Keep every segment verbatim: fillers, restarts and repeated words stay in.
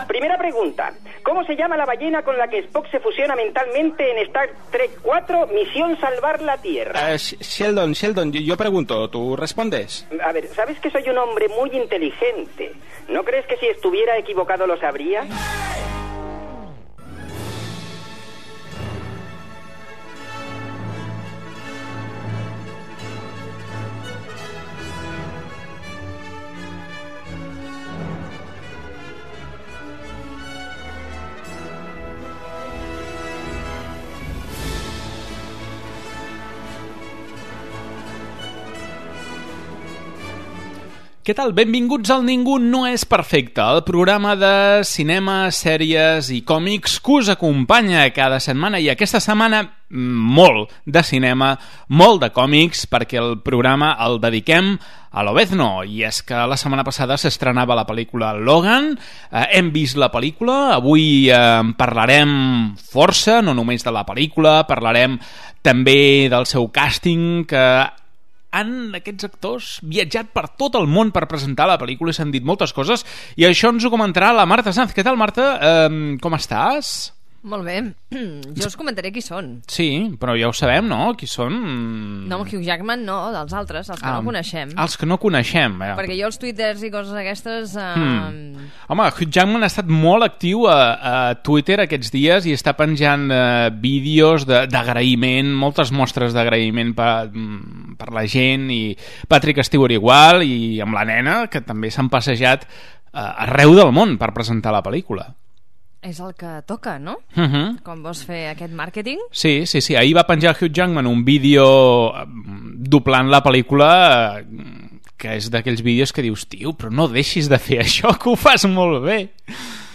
Primera pregunta. ¿Cómo se llama la ballena con la que Spock se fusiona mentalmente en Star Trek cuatro, Misión Salvar la Tierra? Uh, Sheldon, Sheldon, yo, yo pregunto, ¿tú respondes? A ver, ¿sabes que soy un hombre muy inteligente? ¿No crees que si estuviera equivocado lo sabría? Què tal? Benvinguts al Ningú no és perfecte, el programa de cinema, sèries i còmics que us acompanya cada setmana, i aquesta setmana molt de cinema, molt de còmics, perquè el programa el dediquem a l'Obezno, i és que la setmana passada s'estrenava la pel·lícula Logan, eh, hem vist la pel·lícula, avui eh, parlarem força, no només de la pel·lícula, parlarem també del seu càsting, que han aquests actors viatjat per tot el món per presentar la pel·lícula i s'han dit moltes coses, i això ens ho comentarà la Marta Sanz. Què tal, Marta? Eh, com estàs? Molt bé. Jo us comentaré qui són. Sí, però ja ho sabem, no? Qui són? No, el Hugh Jackman no, dels altres, els que ah, no coneixem. Els que no coneixem. Eh? Perquè jo els twitters i coses aquestes... Eh... Hmm. Home, Hugh Jackman ha estat molt actiu a, a Twitter aquests dies i està penjant eh, vídeos d'agraïment, moltes mostres d'agraïment per, per la gent, i Patrick Stewart igual, i amb la nena, que també s'han passejat eh, arreu del món per presentar la pel·lícula. És el que toca, no? Uh -huh. Com vols fer aquest màrqueting? Sí, sí, sí. Ahir va penjar Hugh Jackman un vídeo doblant la pel·lícula, que és d'aquells vídeos que dius, tio, però no deixis de fer això, que ho fas molt bé.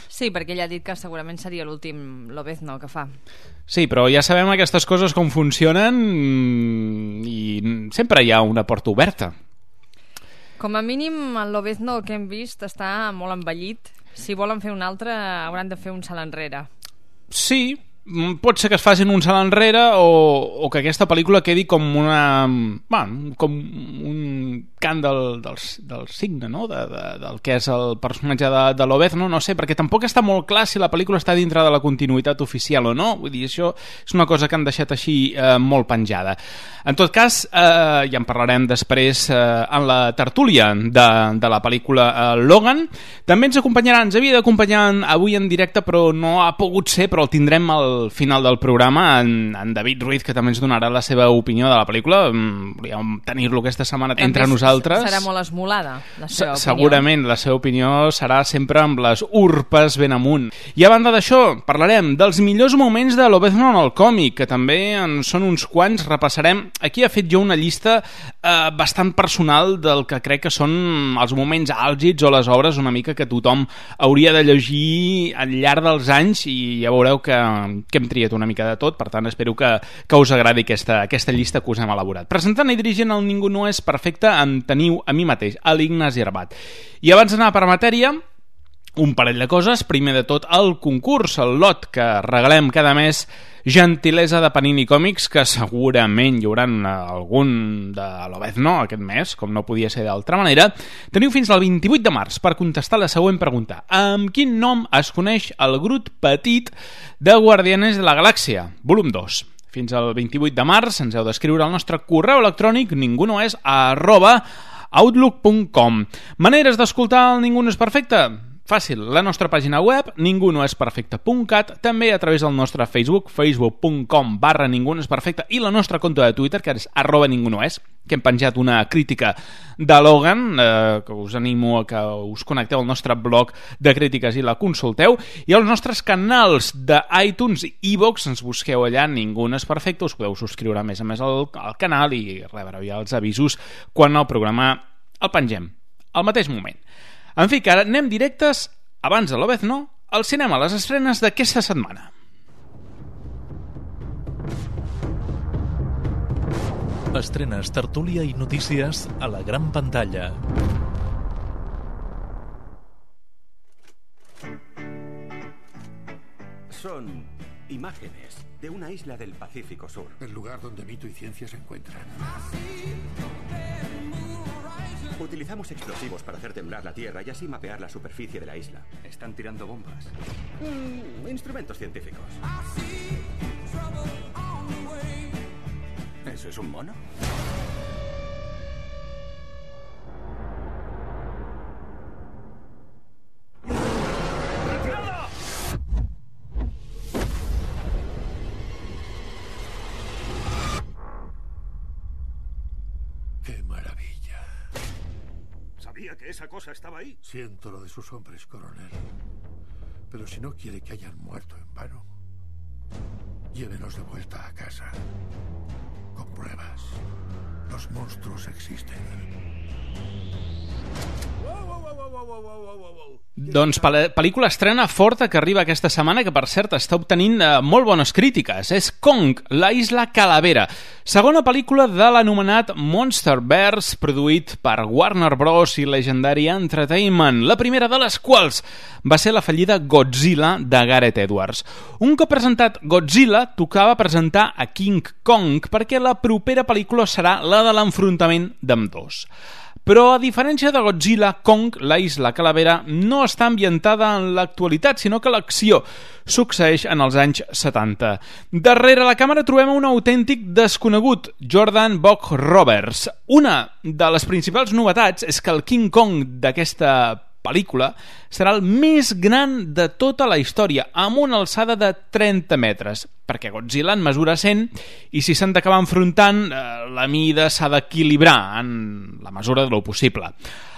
Sí, perquè ell ha dit que segurament seria l'últim Lobezno que fa. Sí, però ja sabem aquestes coses com funcionen, i sempre hi ha una porta oberta. Com a mínim, el Lobezno que hem vist està molt envellit. Si volen fer un altre, hauran de fer un salt enrere. Sí, pot ser que es facin un salt enrere, o, o que aquesta pel·lícula quedi com una... Bueno, com un cant del, del, del signe, no? De, de, del que és el personatge de, de l'Obezno, no sé, perquè tampoc està molt clar si la pel·lícula està dintre de la continuïtat oficial o no. Vull dir, això és una cosa que han deixat així eh, molt penjada. En tot cas, eh, ja en parlarem després eh, en la tertúlia de, de la pel·lícula eh, Logan. També ens acompanyarà, ens havia d'acompanyar avui en directe, però no ha pogut ser, però el tindrem al final del programa, en, en David Ruiz, que també ens donarà la seva opinió de la pel·lícula. Volíem tenir-lo aquesta setmana també entre nosaltres. Serà molt esmolada, la seva Se, segurament, la seva opinió serà sempre amb les urpes ben amunt. I a banda d'això, parlarem dels millors moments de l'Obezno en el còmic, que també en són uns quants, repassarem. Aquí he fet jo una llista eh, bastant personal del que crec que són els moments àlgids o les obres una mica que tothom hauria de llegir al llarg dels anys, i ja veureu que, que hem triat una mica de tot. Per tant, espero que, que us agradi aquesta, aquesta llista que us hem elaborat. Presentant i dirigint el Ningú no és perfecte, en teniu a mi mateix, a l'Ignasi Arbat. I abans d'anar per matèria, un parell de coses. Primer de tot, el concurs, el lot que regalem cada mes, gentilesa de Panini Còmics, que segurament hi haurà algun de l'Obezno aquest mes, com no podia ser d'altra manera. Teniu fins al vint-i-vuit de març per contestar la següent pregunta: amb quin nom es coneix el Groot petit de Guardianes de la Galàxia, volum dos? Fins al vint-i-vuit de març ens heu d'escriure al nostre correu electrònic ningunoes arroba outlook punt com. Maneres d'escoltar el Ningú no és perfecte? Fàcil, la nostra pàgina web ningunoesperfecte punt cat, també a través del nostre Facebook, facebook punt com barra ningunoesperfecte, i la nostra compte de Twitter, que és arroba ningunoes, que hem penjat una crítica de Logan, eh, que us animo a que us connecteu al nostre blog de crítiques i la consulteu, i als nostres canals d'iTunes i iVoox, ens busqueu allà, Ningú no és perfecte, us podeu subscriure a més a més al, al canal i rebreu ja els avisos quan el programa el pengem, al mateix moment. En fi, que ara anem directes, abans de l'Obezno, al cinema, a les estrenes d'aquesta setmana. Estrenes, tertúlia i notícies a la gran pantalla. Son imágenes de una isla del Pacífico Sur. El lugar donde mito y ciencia se encuentran. Utilizamos explosivos para hacer temblar la tierra y así mapear la superficie de la isla. ¿Están tirando bombas? Mm, instrumentos científicos. ¿Eso es un mono? ¡Qué maravilla! ¿Sabía que esa cosa estaba ahí? Siento lo de sus hombres, coronel. Pero si no quiere que hayan muerto en vano, llévenos de vuelta a casa. Con pruebas. Los monstruos existen. Doncs pel·lícula estrena forta que arriba aquesta setmana, que per cert està obtenint eh, molt bones crítiques. És Kong, la isla Calavera, segona pel·lícula de l'anomenat Monsterverse, produït per Warner Bros. I Legendary Entertainment, la primera de les quals va ser la fallida Godzilla de Gareth Edwards. Un cop presentat Godzilla, tocava presentar a King Kong, perquè la propera pel·lícula serà la de l'enfrontament d'ambdós. Però, a diferència de Godzilla, Kong, la isla Calavera, no està ambientada en l'actualitat, sinó que l'acció succeeix en els anys setanta. Darrere la càmera trobem un autèntic desconegut, Jordan Vogt-Roberts. Una de les principals novetats és que el King Kong d'aquesta pel·lícula serà el més gran de tota la història, amb una alçada de trenta metres, perquè Godzilla en mesura cent i si s'han d'acabar enfrontant, eh, la mida s'ha d'equilibrar en la mesura de lo possible.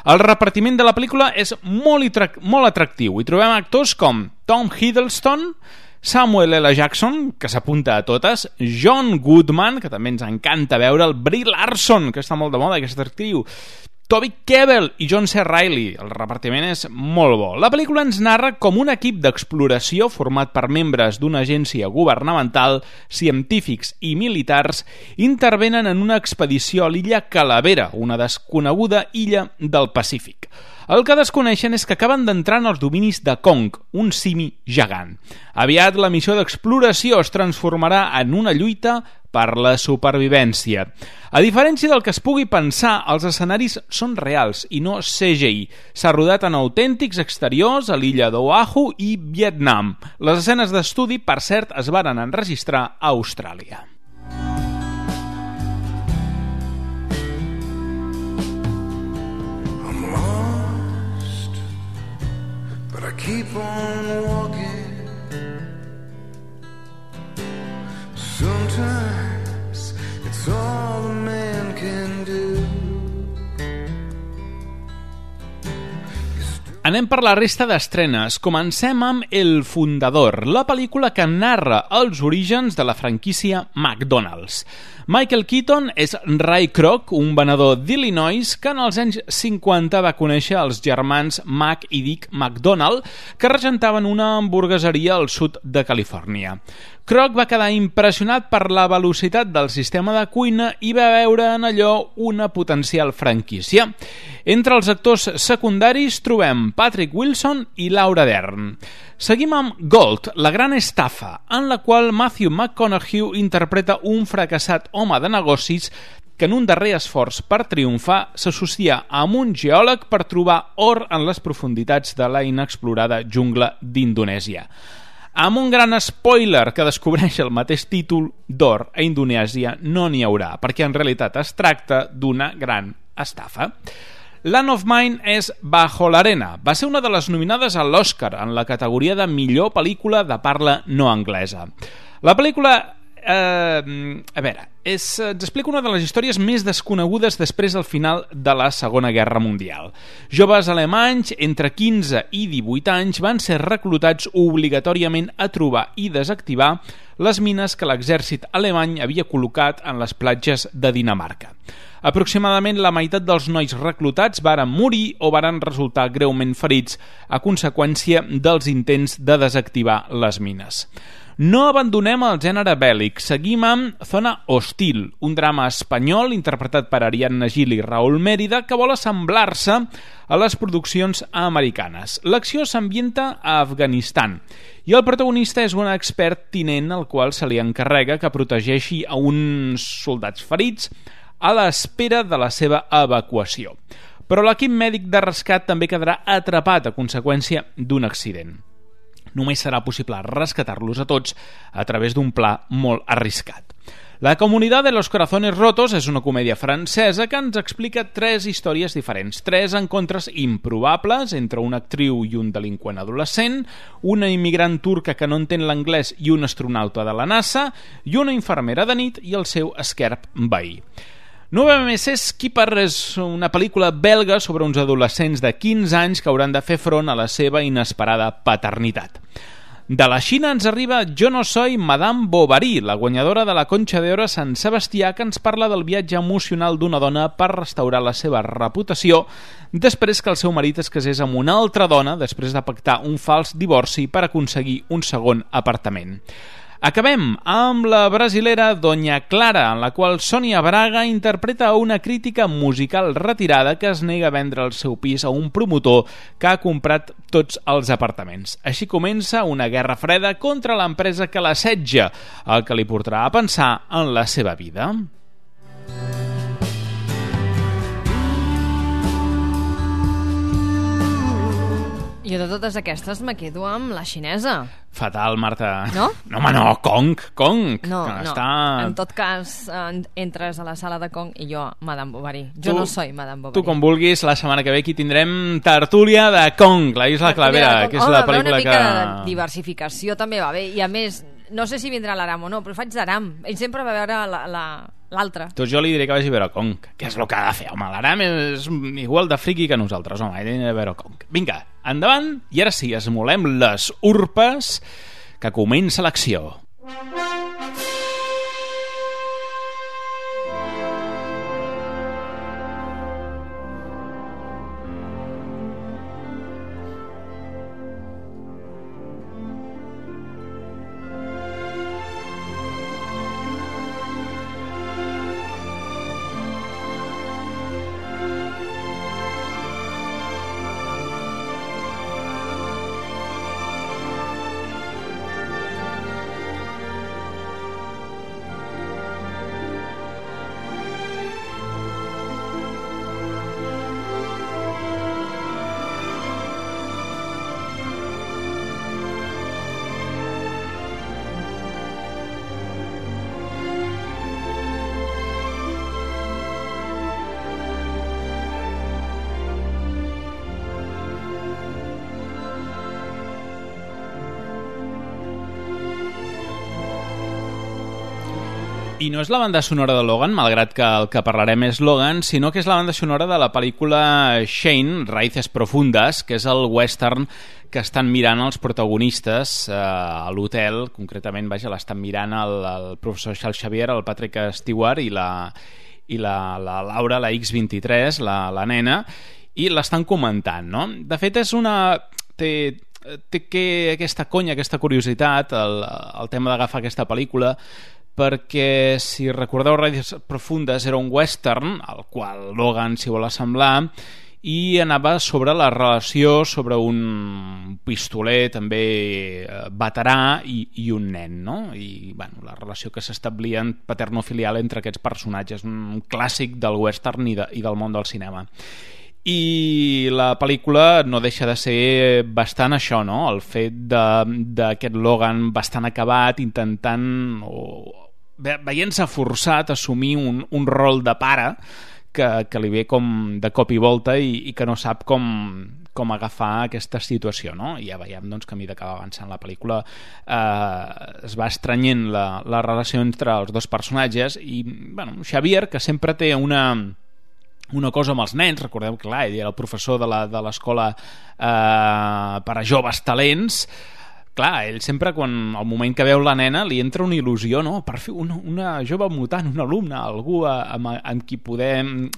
El repartiment de la pel·lícula és molt, molt atractiu i trobem actors com Tom Hiddleston, Samuel L. Jackson, que s'apunta a totes, John Goodman, que també ens encanta veure'l, Brie Larson, que està molt de moda, aquesta actriu, Toby Kebbell i John C. Reilly. El repartiment és molt bo. La pel·lícula ens narra com un equip d'exploració format per membres d'una agència governamental, científics i militars intervenen en una expedició a l'illa Calavera, una desconeguda illa del Pacífic. El que desconeixen és que acaben d'entrar en els dominis de Kong, un simi gegant. Aviat la missió d'exploració es transformarà en una lluita per la supervivència. A diferència del que es pugui pensar, els escenaris són reals i no C G I. S'ha rodat en autèntics exteriors a l'illa d'Oahu i Vietnam. Les escenes d'estudi, per cert, es varen enregistrar a Austràlia. I'm lost, but I keep on walking. Sometimes it's all a man can do. Anem per la resta d'estrenes. Comencem amb El Fundador, la pel·lícula que narra els orígens de la franquícia McDonald's. Michael Keaton és Ray Kroc, un venedor d'Illinois que en els anys cinquanta va conèixer els germans Mac i Dick McDonald, que regentaven una hamburgueseria al sud de Califòrnia. Kroc va quedar impressionat per la velocitat del sistema de cuina i va veure en allò una potencial franquícia. Entre els actors secundaris trobem Patrick Wilson i Laura Dern. Seguim amb Gold, la gran estafa, en la qual Matthew McConaughey interpreta un fracassat home de negocis que en un darrer esforç per triomfar s'associa amb un geòleg per trobar or en les profunditats de la inexplorada jungla d'Indonèsia. Amb un gran spoiler que descobreix el mateix títol, d'or a Indonèsia no n'hi haurà, perquè en realitat es tracta d'una gran estafa. Land of Mine és Bajo l'arena. Va ser una de les nominades a l'Oscar en la categoria de millor pel·lícula de parla no anglesa. La pel·lícula, eh, a veure, és, ens explica una de les històries més desconegudes després del final de la Segona Guerra Mundial. Joves alemanys entre quinze i divuit anys van ser reclutats obligatòriament a trobar i desactivar les mines que l'exèrcit alemany havia col·locat en les platges de Dinamarca. Aproximadament la meitat dels nois reclutats varen morir o varen resultar greument ferits a conseqüència dels intents de desactivar les mines. No abandonem el gènere bèl·lic, seguim amb Zona Hostil, un drama espanyol interpretat per Ariadna Gil i Raúl Mérida que vol assemblar-se a les produccions americanes. L'acció s'ambienta a Afganistan i el protagonista és un expert tinent al qual se li encarrega que protegeixi a uns soldats ferits a l'espera de la seva evacuació. però l'equip mèdic de rescat també quedarà atrapat a conseqüència d'un accident. Només serà possible rescatar-los a tots a través d'un pla molt arriscat. La Comunidad de los Corazones Rotos és una comèdia francesa que ens explica tres històries diferents, tres encontres improbables entre una actriu i un delinqüent adolescent, una immigrant turca que no entén l'anglès i un astronauta de la NASA, i una infermera de nit i el seu esquerp veí. Nueve meses Keeper és una pel·lícula belga sobre uns adolescents de quinze anys que hauran de fer front a la seva inesperada paternitat. De la Xina ens arriba Jo no soy Madame Bovary, la guanyadora de la Concha d'Oro a Sant Sebastià, que ens parla del viatge emocional d'una dona per restaurar la seva reputació després que el seu marit es casés amb una altra dona després de pactar un fals divorci per aconseguir un segon apartament. Acabem amb la brasilera Doña Clara, en la qual Sònia Braga interpreta una crítica musical retirada que es nega a vendre el seu pis a un promotor que ha comprat tots els apartaments. Així comença una guerra freda contra l'empresa que l'assetja, el que li portarà a pensar en la seva vida. Jo de totes aquestes me quedo amb la xinesa. Fatal, Marta. No? No, home, no, Kong, Kong. No, que no. Està... En tot cas, en, entres a la sala de Kong i jo, Madame Bovary. Jo tu, no soy Madame Bovary. Tu, com vulguis, la setmana que ve aquí tindrem Tertúlia de Kong, la Isla Clavera, que és Home, la pel·lícula una que... mica de diversificació també va bé. I a més, no sé si vindrà l'Aram o no, però faig d'Aram. Ell sempre va veure la... la l'altre. Doncs jo li diré que vagi a veure Kong, que és el que ha de fer. Home, l'Aram és igual de friqui que nosaltres, home, ell ha de veure Kong. Vinga, endavant, i ara sí, esmolem les urpes, que comença l'acció. I no és la banda sonora de Logan, malgrat que el que parlarem és Logan, sinó que és la banda sonora de la pel·lícula Shane, Raíces Profundas, que és el western que estan mirant els protagonistes eh, a l'hotel. Concretament, vaja, l'estan mirant el, el professor Charles Xavier, el Patrick Stewart i la, i la, la Laura, la ics vint-i-tres, la, la nena, i l'estan comentant, no? De fet, és una... Té, té que aquesta conya, aquesta curiositat, el, el tema d'agafar aquesta pel·lícula, perquè, si recordeu, Raíces Profundas era un western, al qual Logan s'hi vol assemblar, i anava sobre la relació sobre un pistoler també veterà i, i un nen, no? I, bueno, la relació que s'establia en paternofilial entre aquests personatges, un clàssic del western i, de, i del món del cinema. I la pel·lícula no deixa de ser bastant això, no? El fet d'aquest Logan bastant acabat, intentant o veient-se forçat a assumir un, un rol de pare que, que li ve com de cop i volta i, i que no sap com, com agafar aquesta situació, no? I ja veiem doncs, que a mesura que va avançant la pel·lícula eh, es va estrenyent la, la relació entre els dos personatges i, bueno, Xavier, que sempre té una... una cosa amb els nens, recordeu que clar, ell era el professor de la, de l'escola eh, per a joves talents, clar, ell sempre quan al moment que veu la nena li entra una il·lusió, no? Per fer una, una jove mutant, un alumne, algú amb, amb qui podem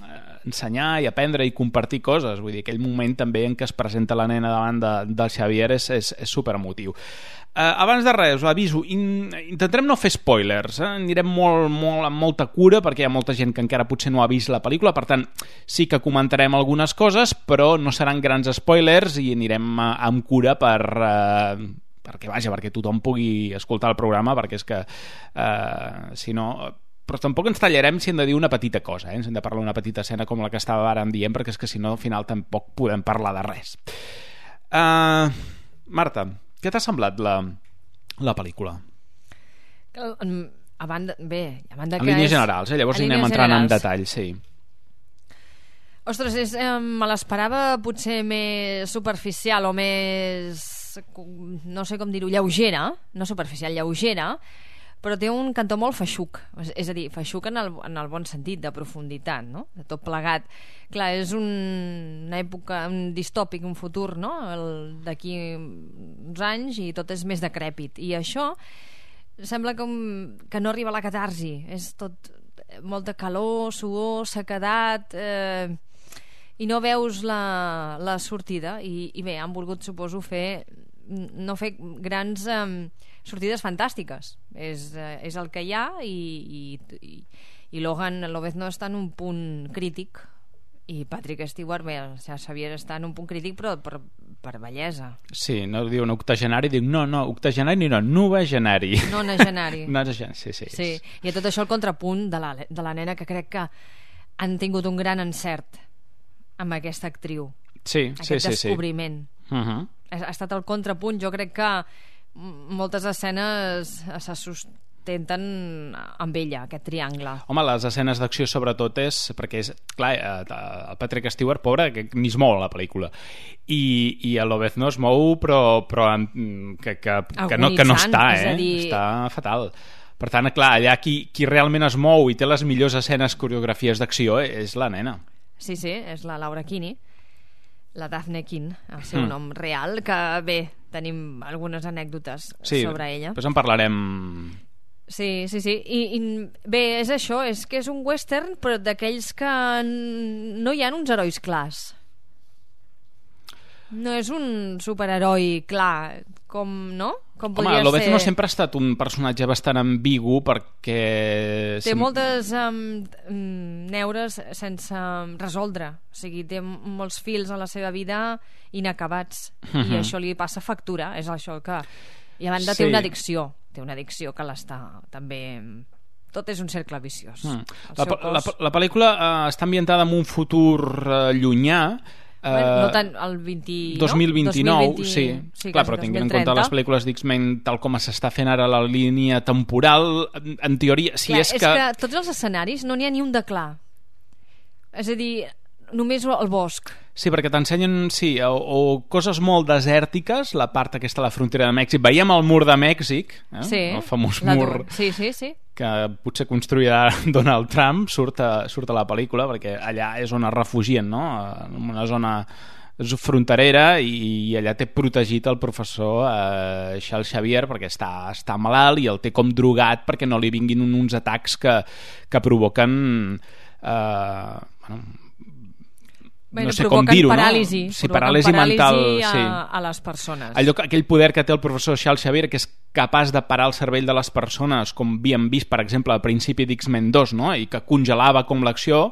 ensenyar i aprendre i compartir coses. Vull dir, aquell moment també en què es presenta la nena davant de, del Xavier és, és, és superemotiu. Uh, abans de res, us aviso, in, intentarem no fer spoilers, eh? Anirem molt, molt, amb molta cura perquè hi ha molta gent que encara potser no ha vist la pel·lícula, per tant sí que comentarem algunes coses, però no seran grans spoilers i anirem uh, amb cura per... Uh, perquè vaja, perquè tothom pugui escoltar el programa, perquè és que uh, si no però tampoc ens tallarem si hem de dir una petita cosa, eh? Ens hem de parlar una petita escena com la que estava ara dient, perquè és que si no al final tampoc podem parlar de res. uh, Marta, què t'ha semblat la, la pel·lícula? A banda, bé, a banda en que línies és... generals, eh? Llavors anem entrant generals. en detall, sí. Ostres, és, eh, me l'esperava potser més superficial o més, no sé com dir-ho, lleugera, no superficial, lleugera, però té un cantó molt feixuc, és, és a dir, feixuc en el, en el bon sentit, de profunditat, no? De tot plegat. Clar, és un, una època, un distòpic, un futur, no? D'aquí uns anys i tot és més decrèpit. I això sembla com que no arriba a la catarsi, és tot molta calor, suor, sequedat... Eh, i no veus la, la sortida i, i bé, han volgut, suposo, fer no fer grans um, sortides fantàstiques, és, uh, és el que hi ha i, i, i Logan Lobezno està en un punt crític i Patrick Stewart, bé, el Xavier està en un punt crític però per, per bellesa. Sí, no diuen octogenari, dic no, no, octogenari no, novagenari. Nonagenari. Nonagenari, sí, sí. Sí, i a tot això el contrapunt de la, de la nena, que crec que han tingut un gran encert amb aquesta actriu, sí, aquest sí, descobriment sí, sí. Uh-huh. ha, ha estat el contrapunt. Jo crec que moltes escenes se sustenten amb ella, aquest triangle. Home, les escenes d'acció sobretot és perquè és, clar, el Patrick Stewart, pobre, que ni es mou a la pel·lícula i, i el Lobezno es mou però, però que, que, que, no, que no està, eh? Dir... està fatal. Per tant, clar, allà qui, qui realment es mou i té les millors escenes, coreografies d'acció és la nena. Sí, sí, és la Laura Kinney, la Daphne King, el seu mm. nom real, que bé, tenim algunes anècdotes sí, sobre ella. Després en parlarem. Sí, sí, sí. I, i bé, és això, és que és un western, però d'aquells que no hi ha uns herois clars. No és un superheroi clar, com, no? Com home, Lobezno ser... sempre ha estat un personatge bastant ambigu perquè... Té Sem... moltes um, neures sense resoldre, o sigui, té molts fils a la seva vida inacabats, uh-huh. i això li passa factura, és això que... I a banda sí. té una addicció, té una addicció que l'està també... Tot és un cercle viciós. Mm. La, cos... la, la pel·lícula uh, està ambientada en un futur uh, llunyà. Bueno, no tant el vint, dos mil vint-i-nou, no? dos mil vint... sí, sí clar, però tinguent en compte les pel·lícules d'X-Men tal com s'està fent ara la línia temporal, en teoria, si clar, és, és que... que tots els escenaris no n'hi ha ni un de clar, és a dir, només el bosc. Sí, perquè t'ensenyen, sí, o, o coses molt desèrtiques, la part aquesta de la frontera de Mèxic, veiem el mur de Mèxic, eh? Sí, el famós la mur sí, sí, sí. que potser construirà Donald Trump, surt a, surt a la pel·lícula, perquè allà és on es refugien, no? En una zona fronterera, i, i allà té protegit el professor eh, Charles Xavier perquè està, està malalt i el té com drogat perquè no li vinguin uns atacs que, que provoquen eh, bueno, Bueno, no sé com dir-ho, paràlisi, no? Sí, paràlisi, paràlisi mental, a, sí. a les persones. Allò, aquell poder que té el professor Charles Xavier, que és capaç de parar el cervell de les persones, com havíem vist, per exemple, al principi d'X-Men dos, no? I que congelava com l'acció,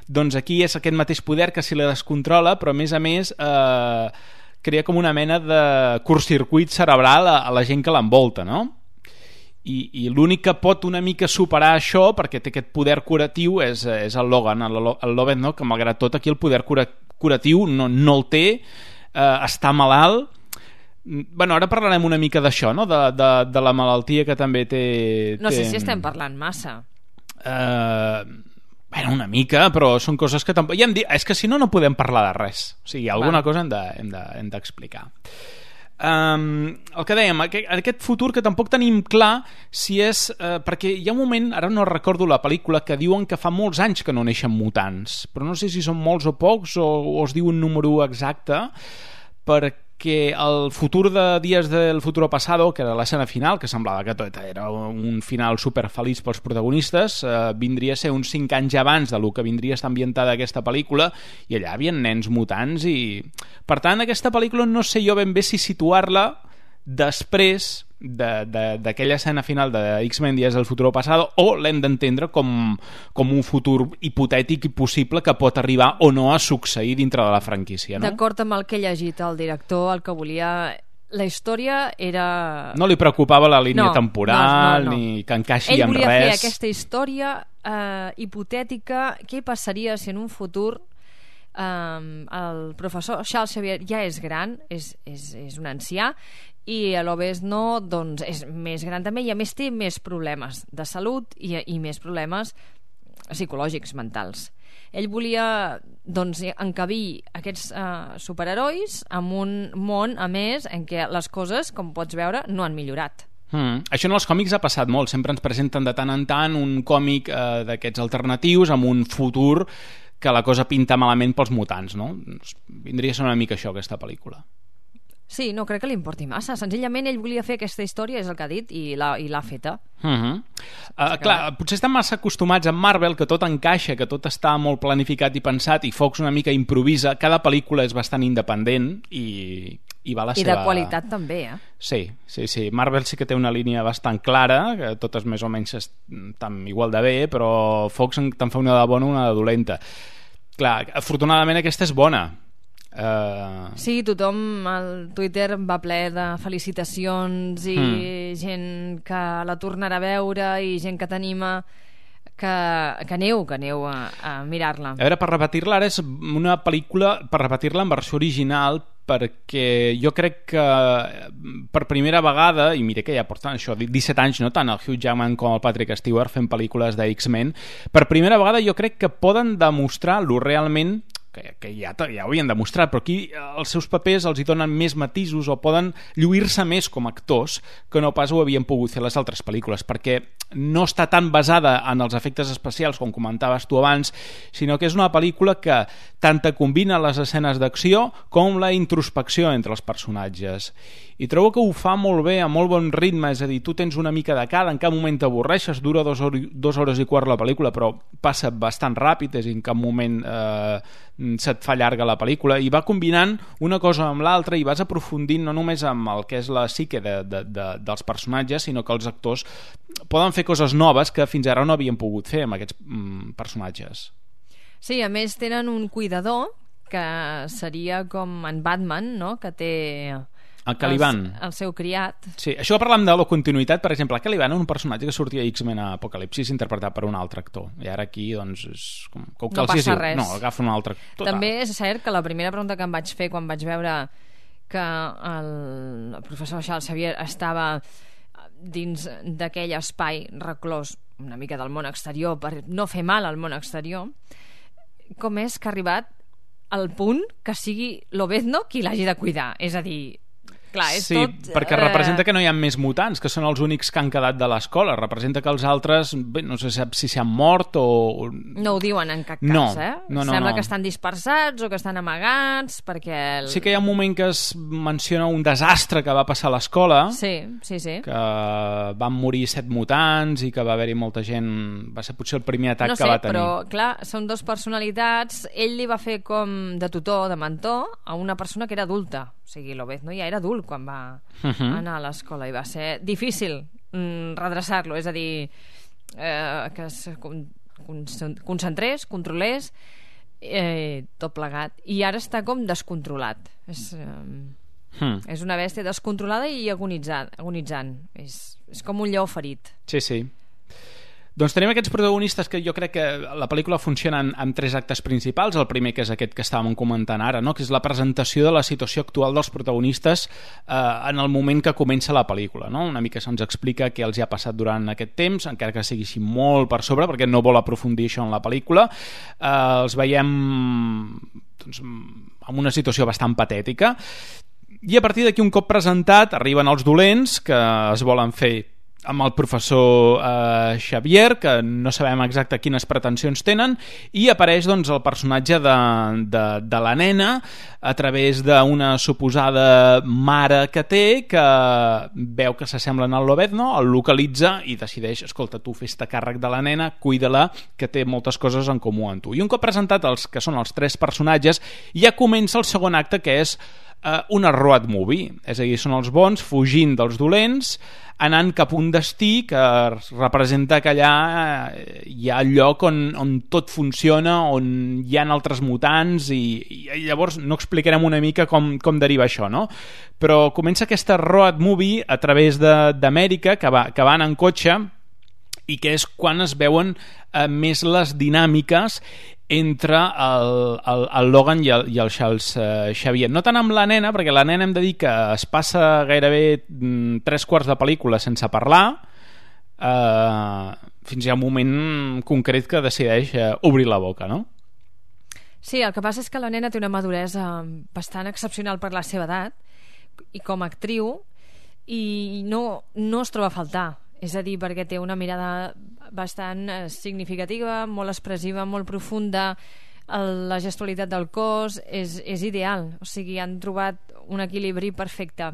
doncs aquí és aquest mateix poder que si la descontrola, però a més a més eh, crea com una mena de curtcircuit cerebral a, a la gent que l'envolta, no? I, i l'únic que pot una mica superar això, perquè té aquest poder curatiu, és, és el Logan, el, el Lobezno, que malgrat tot aquí el poder cura, curatiu no, no el té, eh, està malalt. Bueno, ara parlarem una mica d'això, no? De, de, de la malaltia que també té... No té... sé si estem parlant massa. Eh, bueno, una mica, però són coses que tampoc... Ja hem dit, és que si no, no podem parlar de res. O sigui, alguna Va. cosa hem de, hem de, hem d'explicar. Um, el que dèiem, aquest, aquest futur que tampoc tenim clar si és uh, perquè hi ha un moment, ara no recordo la pel·lícula, que diuen que fa molts anys que no neixen mutants, però no sé si són molts o pocs o, o es diu un número exacte, perquè el futur de Días del Futuro Pasado, que era l'escena final, que semblava que tot era un final super feliç pels protagonistes, eh, vindria a ser uns cinc anys abans de lo que vindria a estar ambientada aquesta pel·lícula, i allà hi havia nens mutants, i per tant aquesta pel·lícula no sé jo ben bé si situar-la després d'aquella escena final de X-Men Días del Futuro Pasado, o l'hem d'entendre com, com un futur hipotètic i possible que pot arribar o no a succeir dintre de la franquícia, no? D'acord amb el que he llegit el director, el que volia la història era... No li preocupava la línia no, temporal, no, no, no. ni que encaixi Ell en res. Ell volia fer aquesta història eh, hipotètica. Què passaria si en un futur eh, el professor Charles Xavier ja és gran, és, és, és un ancià, i l'Obezno doncs, és més gran també, i a més té més problemes de salut i, i més problemes psicològics, mentals. Ell volia doncs, encabir aquests uh, superherois en un món, a més, en què les coses, com pots veure, no han millorat. Mm. Això en els còmics ha passat molt. Sempre ens presenten de tant en tant un còmic eh, d'aquests alternatius amb un futur que la cosa pinta malament pels mutants, no? Vindria a ser una mica això, aquesta pel·lícula. Sí, no crec que li importi massa. Senzillament ell volia fer aquesta història, és el que ha dit, i l'ha, i l'ha feta. Uh-huh. uh, clar, potser estan massa acostumats a Marvel, que tot encaixa, que tot està molt planificat i pensat, i Fox una mica improvisa. Cada pel·lícula és bastant independent i, i va la I seva... de qualitat també, eh? Sí, sí, sí. Marvel sí que té una línia bastant clara, que totes més o menys estan igual de bé, però Fox te'n fa una de bona, una de dolenta. Clar, afortunadament aquesta és bona. Uh... Sí, tothom al Twitter va ple de felicitacions i mm. gent que la tornarà a veure i gent que t'anima que, que aneu, que aneu a, a mirar-la. A veure, per repetir-la, ara és una pel·lícula per repetir-la en versió original, perquè jo crec que per primera vegada, i mira que ja porten això disset anys, no tant el Hugh Jackman com el Patrick Stewart fent pel·lícules de X-Men, per primera vegada jo crec que poden demostrar lo realment que, que ja, ja ho havien demostrat, però aquí els seus papers els hi donen més matisos o poden lluir-se més com a actors que no pas ho havien pogut fer les altres pel·lícules, perquè no està tan basada en els efectes especials com comentaves tu abans, sinó que és una pel·lícula que tant te combina les escenes d'acció com la introspecció entre els personatges, i trobo que ho fa molt bé, a molt bon ritme, és a dir, tu tens una mica de cada, en cap moment t'avorreixes, dura dos, hor dos hores i quart la pel·lícula, però passa bastant ràpid, és a dir, en cap moment eh, se't fa llarga la pel·lícula, i va combinant una cosa amb l'altra i vas aprofundint no només amb el que és la psique de, de, de, dels personatges, sinó que els actors poden fer coses noves que fins ara no havien pogut fer amb aquests mm, personatges. Sí, a més tenen un cuidador que seria com en Batman, no? Que té... El Caliban. El, el seu criat. Sí, això parlant de la continuïtat, per exemple, el Caliban és un personatge que sortia a X-Men a Apocalipsis interpretat per un altre actor, i ara aquí doncs és com, com que no passa diu, res. No, agafa un altre actor. També és cert que la primera pregunta que em vaig fer quan vaig veure que el, el professor Charles Xavier estava dins d'aquell espai reclòs una mica del món exterior per no fer mal al món exterior, com és que ha arribat al punt que sigui l'Obezno qui l'hagi de cuidar, és a dir... Clar, és sí, tot, perquè representa que no hi ha més mutants, que són els únics que han quedat de l'escola. Representa que els altres, bé, no sé si s'han mort o... No ho diuen en cap cas, no, eh? No, no, Sembla no. que estan dispersats o que estan amagats, perquè... El... Sí que hi ha un moment que es menciona un desastre que va passar a l'escola, sí, sí, sí. que van morir set mutants i que va haver-hi molta gent... Va ser potser el primer atac no sé, que va tenir. No sé, però clar, són dos personalitats. Ell li va fer com de tutor, de mentor, a una persona que era adulta. O sigui, l'Obezno ja era adult quan va uh-huh. anar a l'escola, i va ser difícil mm, redreçar-lo, és a dir, eh, que es con con concentrés, controlés, eh, tot plegat. I ara està com descontrolat. És, eh, hmm. és una bèstia descontrolada i agonitzant. agonitzant. És, és com un lleó ferit. Sí, sí. Doncs tenim aquests protagonistes que jo crec que la pel·lícula funciona en, en tres actes principals. El primer, que és aquest que estàvem comentant ara, no? Que és la presentació de la situació actual dels protagonistes eh, en el moment que comença la pel·lícula, no? Una mica se'ns explica què els hi ha passat durant aquest temps, encara que sigui així molt per sobre, perquè no vol aprofundir això en la pel·lícula. Eh, els veiem doncs, en una situació bastant patètica, i a partir d'aquí, un cop presentat, arriben els dolents que es volen fer amb el professor eh, Xavier, que no sabem exacte quines pretensions tenen, i apareix doncs, el personatge de, de, de la nena a través d'una suposada mare que té, que veu que s'assemblen al Lobezno, el localitza i decideix, escolta, tu fes-te càrrec de la nena, cuida-la, que té moltes coses en comú amb tu. I un cop presentat els que són els tres personatges, ja comença el segon acte, que és eh, una road movie, és a dir, són els bons fugint dels dolents, anant cap a un destí que representa que allà hi ha el lloc on, on tot funciona, on hi ha altres mutants, i, i llavors no explicarem una mica com, com deriva això, no? Però comença aquesta road movie a través d'Amèrica, que, va, que van en cotxe, i que és quan es veuen eh, més les dinàmiques entre el, el, el Logan i el, i el Charles eh, Xavier. No tant amb la nena, perquè la nena hem de dir que es passa gairebé mm, tres quarts de pel·lícula sense parlar, eh, fins hi ha un moment concret que decideix eh, obrir la boca, no? Sí, el que passa és que la nena té una maduresa bastant excepcional per la seva edat, i com a actriu, i no, no es troba a faltar. És a dir, perquè té una mirada bastant significativa, molt expressiva, molt profunda, el, la gestualitat del cos és, és ideal, o sigui, han trobat un equilibri perfecte.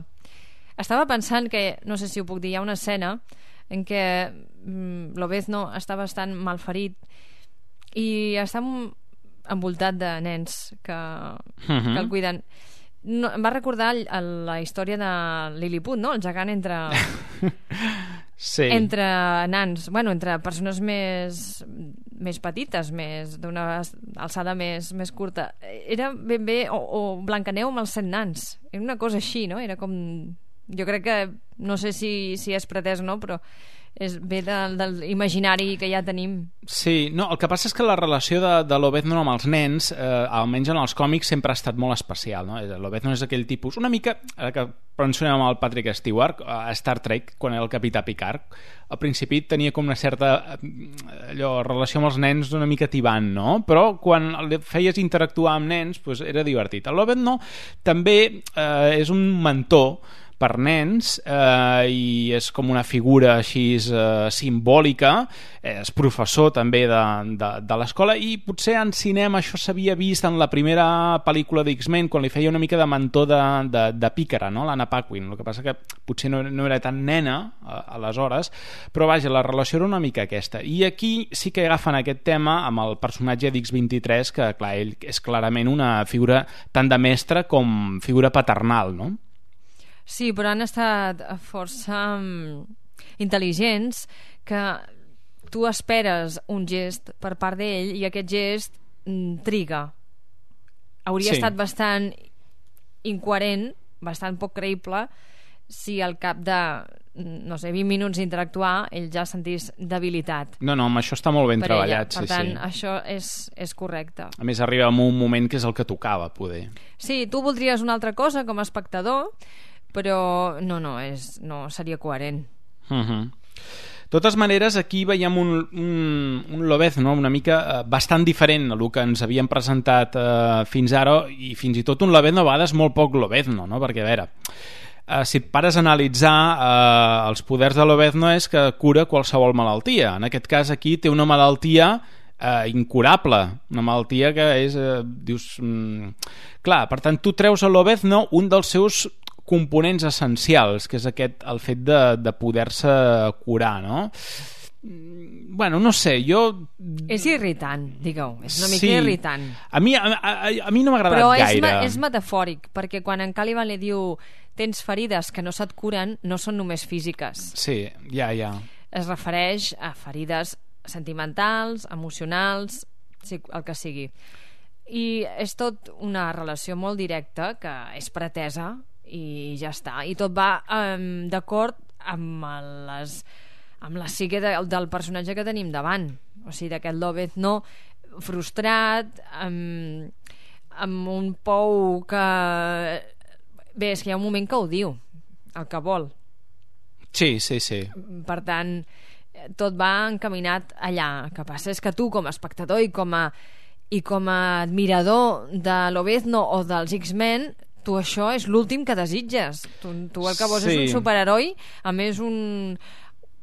Estava pensant que, no sé si ho puc dir, hi ha una escena en què mm, Lobezno està bastant malferit i està envoltat de nens que, uh-huh. que el cuiden. No, em va recordar la història de Lilliput, no? El gegant entre... Sí. Entre nans, bueno, entre persones més, més petites, més d'una alçada més, més curta. Era ben bé, o, o Blancaneu amb els set nans. Era una cosa així, no? Era com... Jo crec que, no sé si, si és pretès o no, però és ve de, de l'imaginari que ja tenim. Sí, no, el que passa és que la relació de, de Lobezno amb els nens, eh, almenys en els còmics, sempre ha estat molt especial, no? Lobezno és aquell tipus, una mica, ara que mencionem el Patrick Stewart a Star Trek, quan era el capità Picard, al principi tenia com una certa allò, relació amb els nens una mica tibant, no? Però quan feies interactuar amb nens, pues, era divertit. El Lobezno també eh, és un mentor per nens, eh, i és com una figura així eh, simbòlica, és professor també de, de, de l'escola, i potser en cinema això s'havia vist en la primera pel·lícula d'X-Men, quan li feia una mica de mentor de, de, de Pícara, no? l'Anna Paquin. El que passa que potser no, no era tan nena a, aleshores, però vaja, la relació era una mica aquesta. I aquí sí que agafen aquest tema amb el personatge d'X vint-i-tres, que clar, ell és clarament una figura tant de mestre com figura paternal, no? Sí, però han estat força um, intel·ligents, que tu esperes un gest per part d'ell i aquest gest mm, triga. Hauria sí. estat bastant incoherent, bastant poc creïble, si al cap de, no sé, vint minuts d'interactuar ell ja sentís debilitat. No, no, amb això està molt ben treballat. Per sí, tant, sí. això és, és correcte. A més, arriba en un moment que és el que tocava, poder. Sí, tu voldries una altra cosa com a espectador, però no, no, és, no seria coherent. Uh-huh. De totes maneres, aquí veiem un, un, un Lobezno una mica eh, bastant diferent a el que ens havien presentat eh, fins ara, i fins i tot un Lobezno a vegades molt poc Lobezno, no? Perquè, a veure, eh, si et pares a analitzar eh, els poders de Lobezno és que cura qualsevol malaltia. En aquest cas aquí té una malaltia eh, incurable, una malaltia que és, eh, dius... Mm, clar, per tant, tu treus a Lobezno un dels seus components essencials, que és aquest, el fet de, de poder-se curar, no? Bueno, no sé, jo... És irritant, digueu, és una mica sí. irritant. A mi, a, a, a mi no m'ha agradat Però gaire. Però és, és metafòric, perquè quan en Caliban li diu tens ferides que no se't curen, no són només físiques. Sí, ja, ja. Es refereix a ferides sentimentals, emocionals, el que sigui. I és tot una relació molt directa, que és pretesa, i ja està, i tot va um, d'acord amb les amb la psique de, del personatge que tenim davant, o sigui, d'aquest Lobezno frustrat, amb, amb un pou que bé, és que hi ha un moment que ho diu el que vol. Sí, sí, sí. Per tant, tot va encaminat allà. El que passa és que tu com a espectador i com a, i com a admirador de Lobezno o dels X-Men, tu això és l'últim que desitges. Tu, tu el que vols sí. és un superheroi, a més un,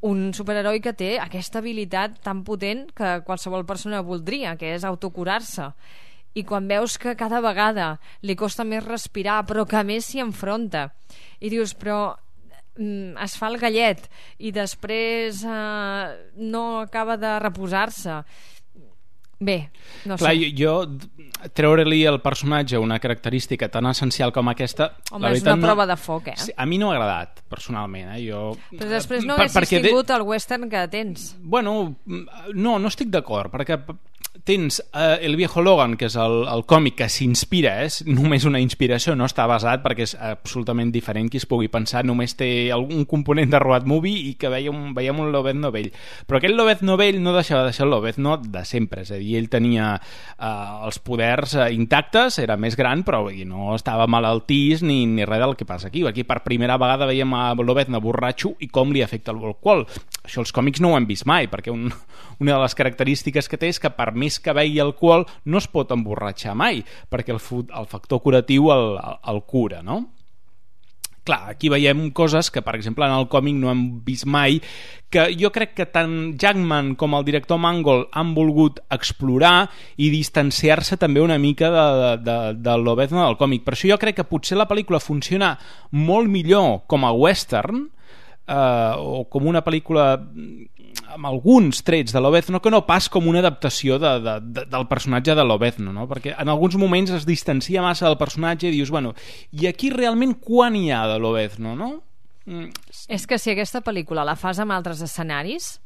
un superheroi que té aquesta habilitat tan potent que qualsevol persona voldria, que és autocurar-se. I quan veus que cada vegada li costa més respirar, però que a més s'hi enfronta, i dius, però mm, es fa el gallet i després eh, no acaba de reposar-se. Bé, no Clar, sé. jo, jo treure-li el personatge una característica tan essencial com aquesta... Home, és una no... prova de foc, eh? Sí, a mi no m'ha agradat, personalment. Eh? Jo... Però després no per, haguessis tingut de... el western que tens. Bueno, no, no estic d'acord, perquè tens uh, El viejo Logan, que és el, el còmic que s'inspira, és eh? només una inspiració, no està basat perquè és absolutament diferent qui es pugui pensar, només té algun component de road movie i que veiem, veiem un Lobezno vell. Però aquest Lobezno vell no deixava de ser el Lobezno de sempre, és a dir, ell tenia uh, els poders uh, intactes, era més gran, però i no estava malaltís ni, ni res del que passa aquí. Aquí per primera vegada veiem a Lobezno borratxo i com li afecta l'alcohol. Això els còmics no ho hem vist mai, perquè un, una de les característiques que té és que per més que begui alcohol no es pot emborratxar mai, perquè el, el factor curatiu el, el, el cura, no? Clar, aquí veiem coses que, per exemple, en el còmic no hem vist mai, que jo crec que tant Jackman com el director Mangold han volgut explorar i distanciar-se també una mica de, de, de Lobezno del còmic. Per això jo crec que potser la pel·lícula funciona molt millor com a western, eh, o com una pel·lícula amb alguns trets de Lobezno que no pas com una adaptació de, de, de, del personatge de Lobezno, no? Perquè en alguns moments es distancia massa del personatge i dius, bueno, i aquí realment quan hi ha de Lobezno, no? Mm. És que si aquesta pel·lícula la fas amb altres escenaris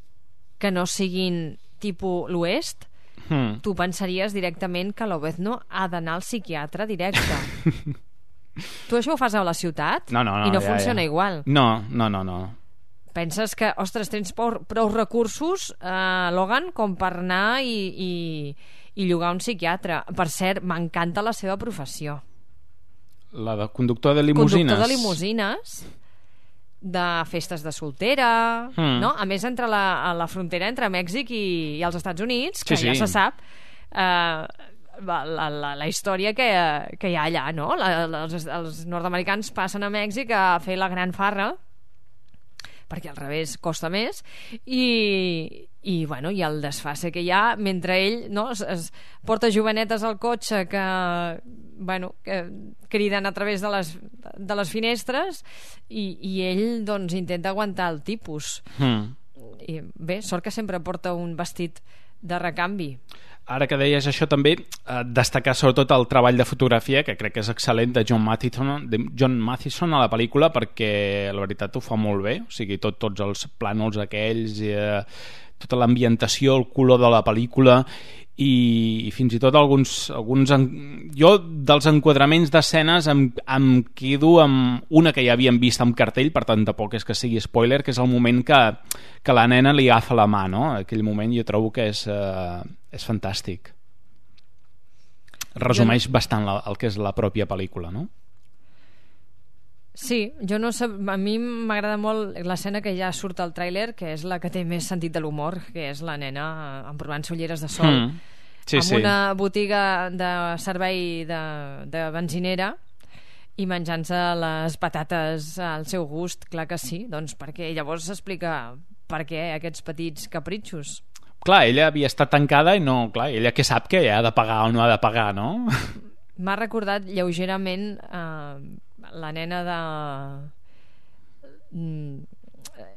que no siguin tipus l'oest, mm. tu pensaries directament que Lobezno ha d'anar al psiquiatre directe. Tu això ho fas a la ciutat no, no, no, i no ja, funciona ja. igual. No, no, no, no. Penses que, ostres, tens prou, prou recursos, eh, Logan, com per anar i, i, i llogar un psiquiatre. Per cert, m'encanta la seva professió. La de conductor de limusines. Conductor de limusines, de festes de soltera, mm. no? A més, entre la, a la frontera entre Mèxic i, i els Estats Units, que sí, ja sí. se sap, eh, la, la, la història que, que hi ha allà, no? La, els, els nord-americans passen a Mèxic a fer la gran farra, perquè al revés costa més, i, i, bueno, i el desfase que hi ha mentre ell, no, es, es porta jovenetes al cotxe que, bueno, que criden a través de les, de les finestres i, i ell doncs intenta aguantar el tipus. Mm. I bé, sort que sempre porta un vestit de recanvi. Ara que deies això també, eh, destacar sobretot el treball de fotografia, que crec que és excel·lent, de John Mathison, de John Mathison a la pel·lícula, perquè la veritat ho fa molt bé, o sigui, tot, tots els plànols aquells, eh, tota l'ambientació, el color de la pel·lícula, i, i fins i tot alguns, alguns en... jo dels enquadraments d'escenes em, em quedo amb una que ja havíem vist amb cartell, per tant tampoc és que sigui spoiler, que és el moment que, que la nena li agafa la mà, no? Aquell moment jo trobo que és, eh, és fantàstic, resumeix jo... bastant la, el que és la pròpia pel·lícula, no? Sí, jo no sé, a mi m'agrada molt l'escena que ja surt al tràiler, que és la que té més sentit de l'humor, que és la nena emprovant-se ulleres de sol mm. sí, amb sí. una botiga de servei de, de benzinera i menjant-se les patates al seu gust, clar que sí, doncs perquè llavors s'explica per què aquests petits capritxos. Clar, ella havia estat tancada i no, clar, ella que sap que ha de pagar o no ha de pagar, no? M'ha recordat lleugerament eh, la nena de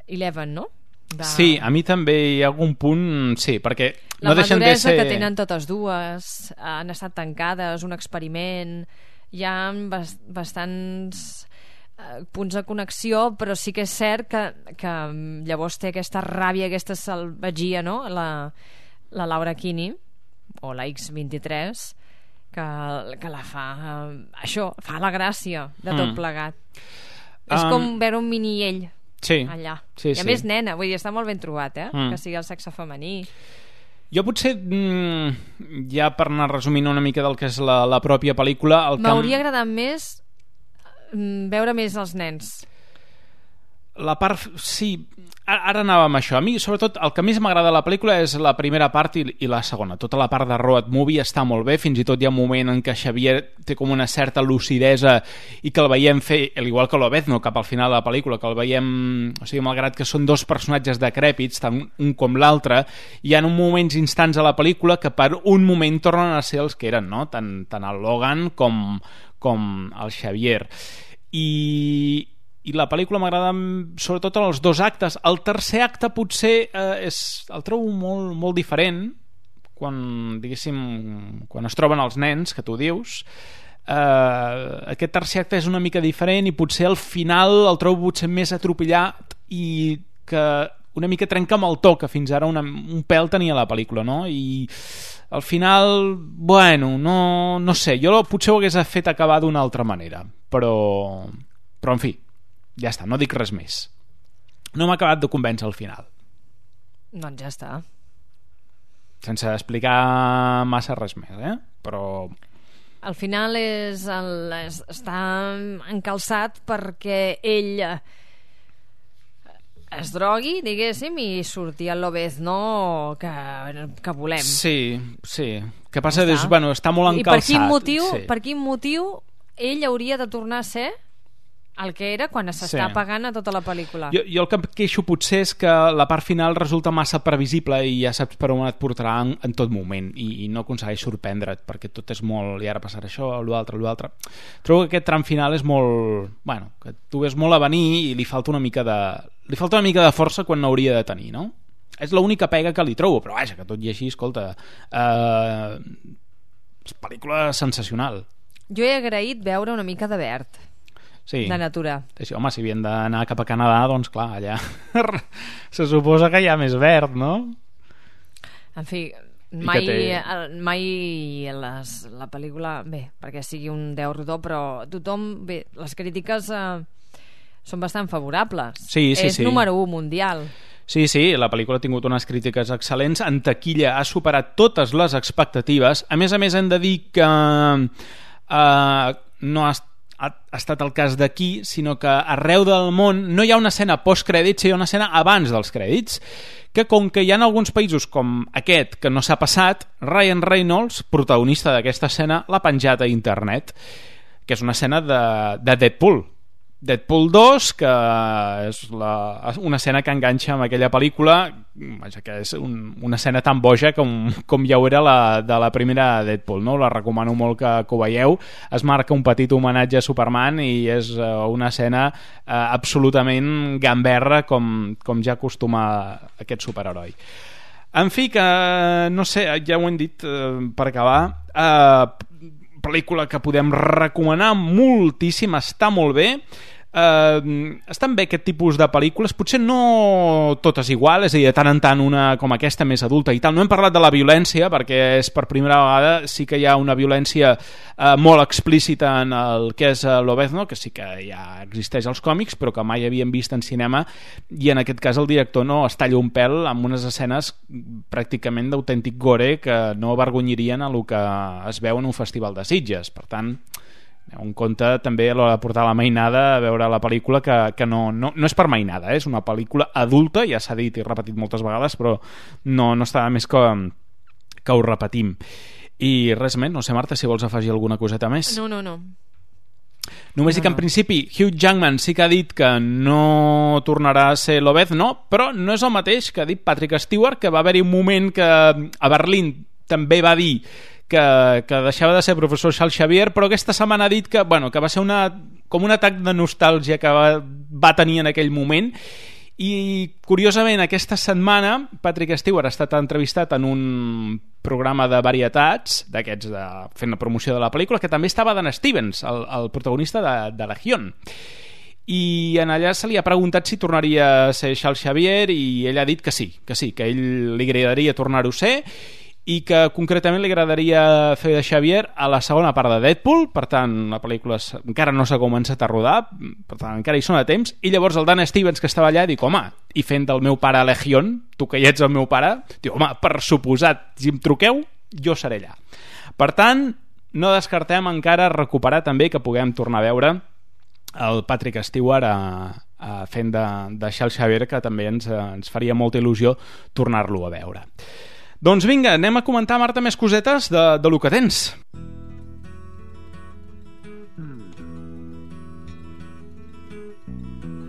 Eleven, no? De... Sí, a mi també hi ha algun punt, sí, perquè la no deixen de ser... que tenen totes dues, han estat tancades, un experiment, hi ha bast bastants eh, punts de connexió, però sí que és cert que, que llavors té aquesta ràbia, aquesta salvatgia, no? La, la Laura Kinney, o la X vint-i-tres, que, que la fa eh, això, fa la gràcia de tot mm. plegat. Um, és com veure un mini ell sí, allà. Sí, I a sí. més nena, vull dir, està molt ben trobat, eh? Mm. Que sigui el sexe femení. Jo potser, mm, ja per anar resumint una mica del que és la, la pròpia pel·lícula... M'hauria camp... agradat més mm, veure més els nens. La part... Sí, ara anàvem a això. A mi, sobretot, el que més m'agrada de la pel·lícula és la primera part i, i la segona. Tota la part de road movie està molt bé, fins i tot hi ha un moment en què Xavier té com una certa lucidesa i que el veiem fer, al igual que Lobezno, cap al final de la pel·lícula, que el veiem... O sigui, malgrat que són dos personatges decrèpits, tant un com l'altre, hi ha un moments instants a la pel·lícula que per un moment tornen a ser els que eren, no? Tant, tant el Logan com, com el Xavier. I... i la pel·lícula m'agrada sobretot en els dos actes. El tercer acte potser eh, és, el trobo molt, molt diferent, quan, diguéssim, quan es troben els nens, que tu dius, eh, aquest tercer acte és una mica diferent i potser al final el trobo potser més atropellat i que una mica trenca amb el to que fins ara una, un pèl tenia la pel·lícula, no? I al final, bueno, no, no sé, jo potser ho hagués fet acabar d'una altra manera, però, però en fi, ja està, no dic res més. No m'ha acabat de convèncer al final. Doncs ja està. Sense explicar massa res més, eh? Però... Al final és el, és, està encalçat perquè ell es drogui, diguéssim, i surti el Lobezno que, que volem. Sí, sí. Que passa és, bueno, està molt encalçat. I per quin motiu, sí. per quin motiu ell hauria de tornar a ser el que era quan s'està sí. pagant a tota la pel·lícula. Jo, jo el que em queixo potser és que la part final resulta massa previsible i ja saps per on et portarà en, en tot moment i, i no aconsegueix sorprendre't perquè tot és molt... i ara passarà això, l'altre, l'altre... Trobo que aquest tram final és molt... bueno, que tu ves molt a venir i li falta una mica de... li falta una mica de força quan n'hauria de tenir, no? És l'única pega que li trobo, però vaja, que tot i així, escolta... Eh, és pel·lícula sensacional. Jo he agraït veure una mica de verd. Sí. De natura. Sí, home, si havien d'anar cap a Canadà, doncs clar, allà se suposa que hi ha més verd, no? En fi, mai, té... mai les, la pel·lícula, bé, perquè sigui un deu rodó, però tothom, bé, les crítiques eh, són bastant favorables. Sí, sí, és sí. número u mundial. Sí, sí, la pel·lícula ha tingut unes crítiques excel·lents, en taquilla ha superat totes les expectatives. A més a més hem de dir que eh, no ha estat ha estat el cas d'aquí, sinó que arreu del món no hi ha una escena post-crèdits, hi ha una escena abans dels crèdits, que com que hi ha alguns països com aquest que no s'ha passat, Ryan Reynolds, protagonista d'aquesta escena, l'ha penjat a internet, que és una escena de, de Deadpool. Deadpool dos, que és la, una escena que enganxa amb aquella pel·lícula, vaja, que és un, una escena tan boja com, com ja ho era la, de la primera Deadpool, no? La recomano molt que, que ho veieu. Es marca un petit homenatge a Superman i és uh, una escena uh, absolutament gamberra com, com ja acostuma aquest superheroi. En fi, que no sé, ja ho hem dit uh, per acabar, uh, pel·lícula que podem recomanar moltíssim, està molt bé. Uh, estan bé aquest tipus de pel·lícules, potser no totes igual, és a dir, de tant en tant una com aquesta més adulta i tal. No hem parlat de la violència perquè és per primera vegada, sí que hi ha una violència uh, molt explícita en el que és uh, Lobezno, que sí que ja existeix als còmics però que mai havíem vist en cinema, i en aquest cas el director no es talla un pèl amb unes escenes pràcticament d'autèntic gore que no avergonyirien a lo que es veu en un festival de Sitges. Per tant, un compte també a l'hora de portar la mainada a veure la pel·lícula, que, que no, no, no és per mainada, eh? És una pel·lícula adulta, ja s'ha dit i repetit moltes vegades, però no, no està més que, que ho repetim. I res més, no sé, Marta, si vols afegir alguna coseta més. No, no, no. Només no, dic que en principi Hugh Jackman sí que ha dit que no tornarà a ser Lobezno, però no és el mateix que ha dit Patrick Stewart, que va haver-hi un moment que a Berlín també va dir que, que deixava de ser professor Charles Xavier, però aquesta setmana ha dit que, bueno, que va ser una, com un atac de nostàlgia que va, va tenir en aquell moment. I curiosament aquesta setmana Patrick Stewart ha estat entrevistat en un programa de varietats d'aquests de, fent la promoció de la pel·lícula, que també estava Dan Stevens, el, el protagonista de, de Legión, i en allà se li ha preguntat si tornaria a ser Charles Xavier i ell ha dit que sí, que sí, que a ell li agradaria tornar-ho a ser i que concretament li agradaria fer de Xavier a la segona part de Deadpool. Per tant, la pel·lícula encara no s'ha començat a rodar, per tant encara hi són a temps, i llavors el Dan Stevens, que estava allà, dic, home, i fent del meu pare Legión, tu que ja ets el meu pare, diu, home, per suposat, si em truqueu jo seré allà. Per tant, no descartem encara recuperar també que puguem tornar a veure el Patrick Stewart a, a fent de, de Charles Xavier, que també ens, ens faria molta il·lusió tornar-lo a veure. Doncs vinga, anem a comentar, Marta, més cosetes de, de lo que tens.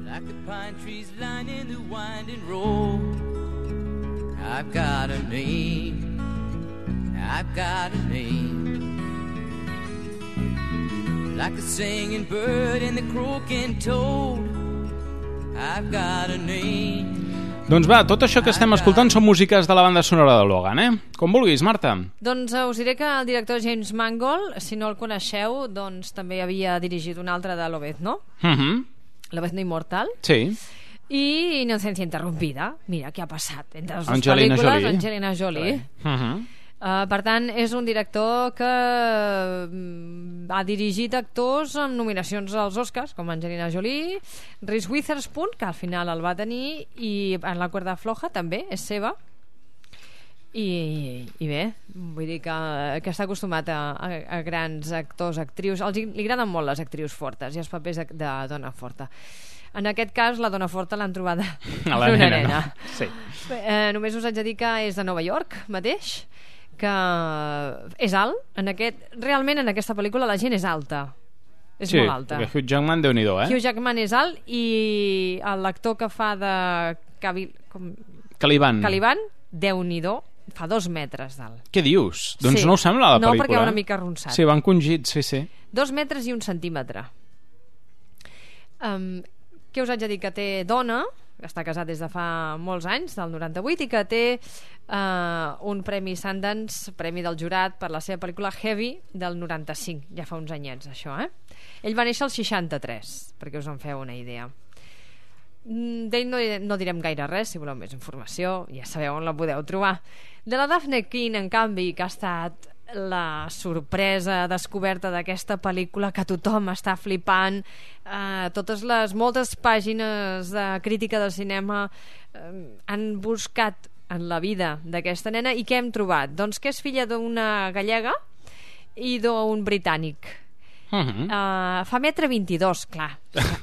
Like the pine trees lining the winding road, I've got a name, I've got a name. Like the singing bird and the croaking toad, I've got a name. Doncs va, tot això que estem escoltant són músiques de la banda sonora de Logan, eh? Com vulguis, Marta. Doncs uh, us diré que el director James Mangold, si no el coneixeu, doncs també havia dirigit un altre de Lobezno, Uh -huh. Lobezno Immortal, Sí. i Inocencia Interrumpida. Mira què ha passat entre les dues Angelina pel·lícules. Jolie. Angelina Jolie. Uh -huh. Uh, per tant, és un director que mm, ha dirigit actors amb nominacions als Oscars, com Angelina Jolie, Reese Witherspoon, que al final el va tenir, i en La cuerda floja també és seva. I, i bé, vull dir que, que està acostumat a, a, a grans actors, actrius. Els, li agraden molt les actrius fortes i els papers de, de dona forta. En aquest cas, la dona forta l'han trobada A la una nena, nena. no? Sí. Eh, només us haig de dir que és de Nova York mateix, que és alt. En aquest, realment en aquesta pel·lícula la gent és alta. És Sí, molt alta. perquè Hugh Jackman, Déu-n'hi-do, eh? Hugh Jackman és alt i l'actor que fa de Cavi, com, Caliban. Caliban, Déu-n'hi-do, fa dos metres d'alt. Què dius? Doncs Sí. no ho sembla, la No, pel·lícula. perquè va una mica arronsat. Sí, van congits, sí, sí. Dos metres i un centímetre. Um, què us haig de dir? Que té dona, està casat des de fa molts anys, del noranta-vuit, i que té uh, un premi Sundance, premi del jurat, per la seva pel·lícula Heavy, del noranta-cinc. Ja fa uns anyets, això, eh? Ell va néixer al seixanta-tres, perquè us en feu una idea. Mm, D'ell no, no direm gaire res. Si voleu més informació ja sabeu on la podeu trobar. De la Daphne King, en canvi, que ha estat la sorpresa descoberta d'aquesta pel·lícula, que tothom està flipant, eh, totes les moltes pàgines de crítica del cinema eh, han buscat en la vida d'aquesta nena. I què hem trobat? Doncs que és filla d'una gallega i d'un britànic. Uh -huh. Uh, fa metre vint-i-dos, clar,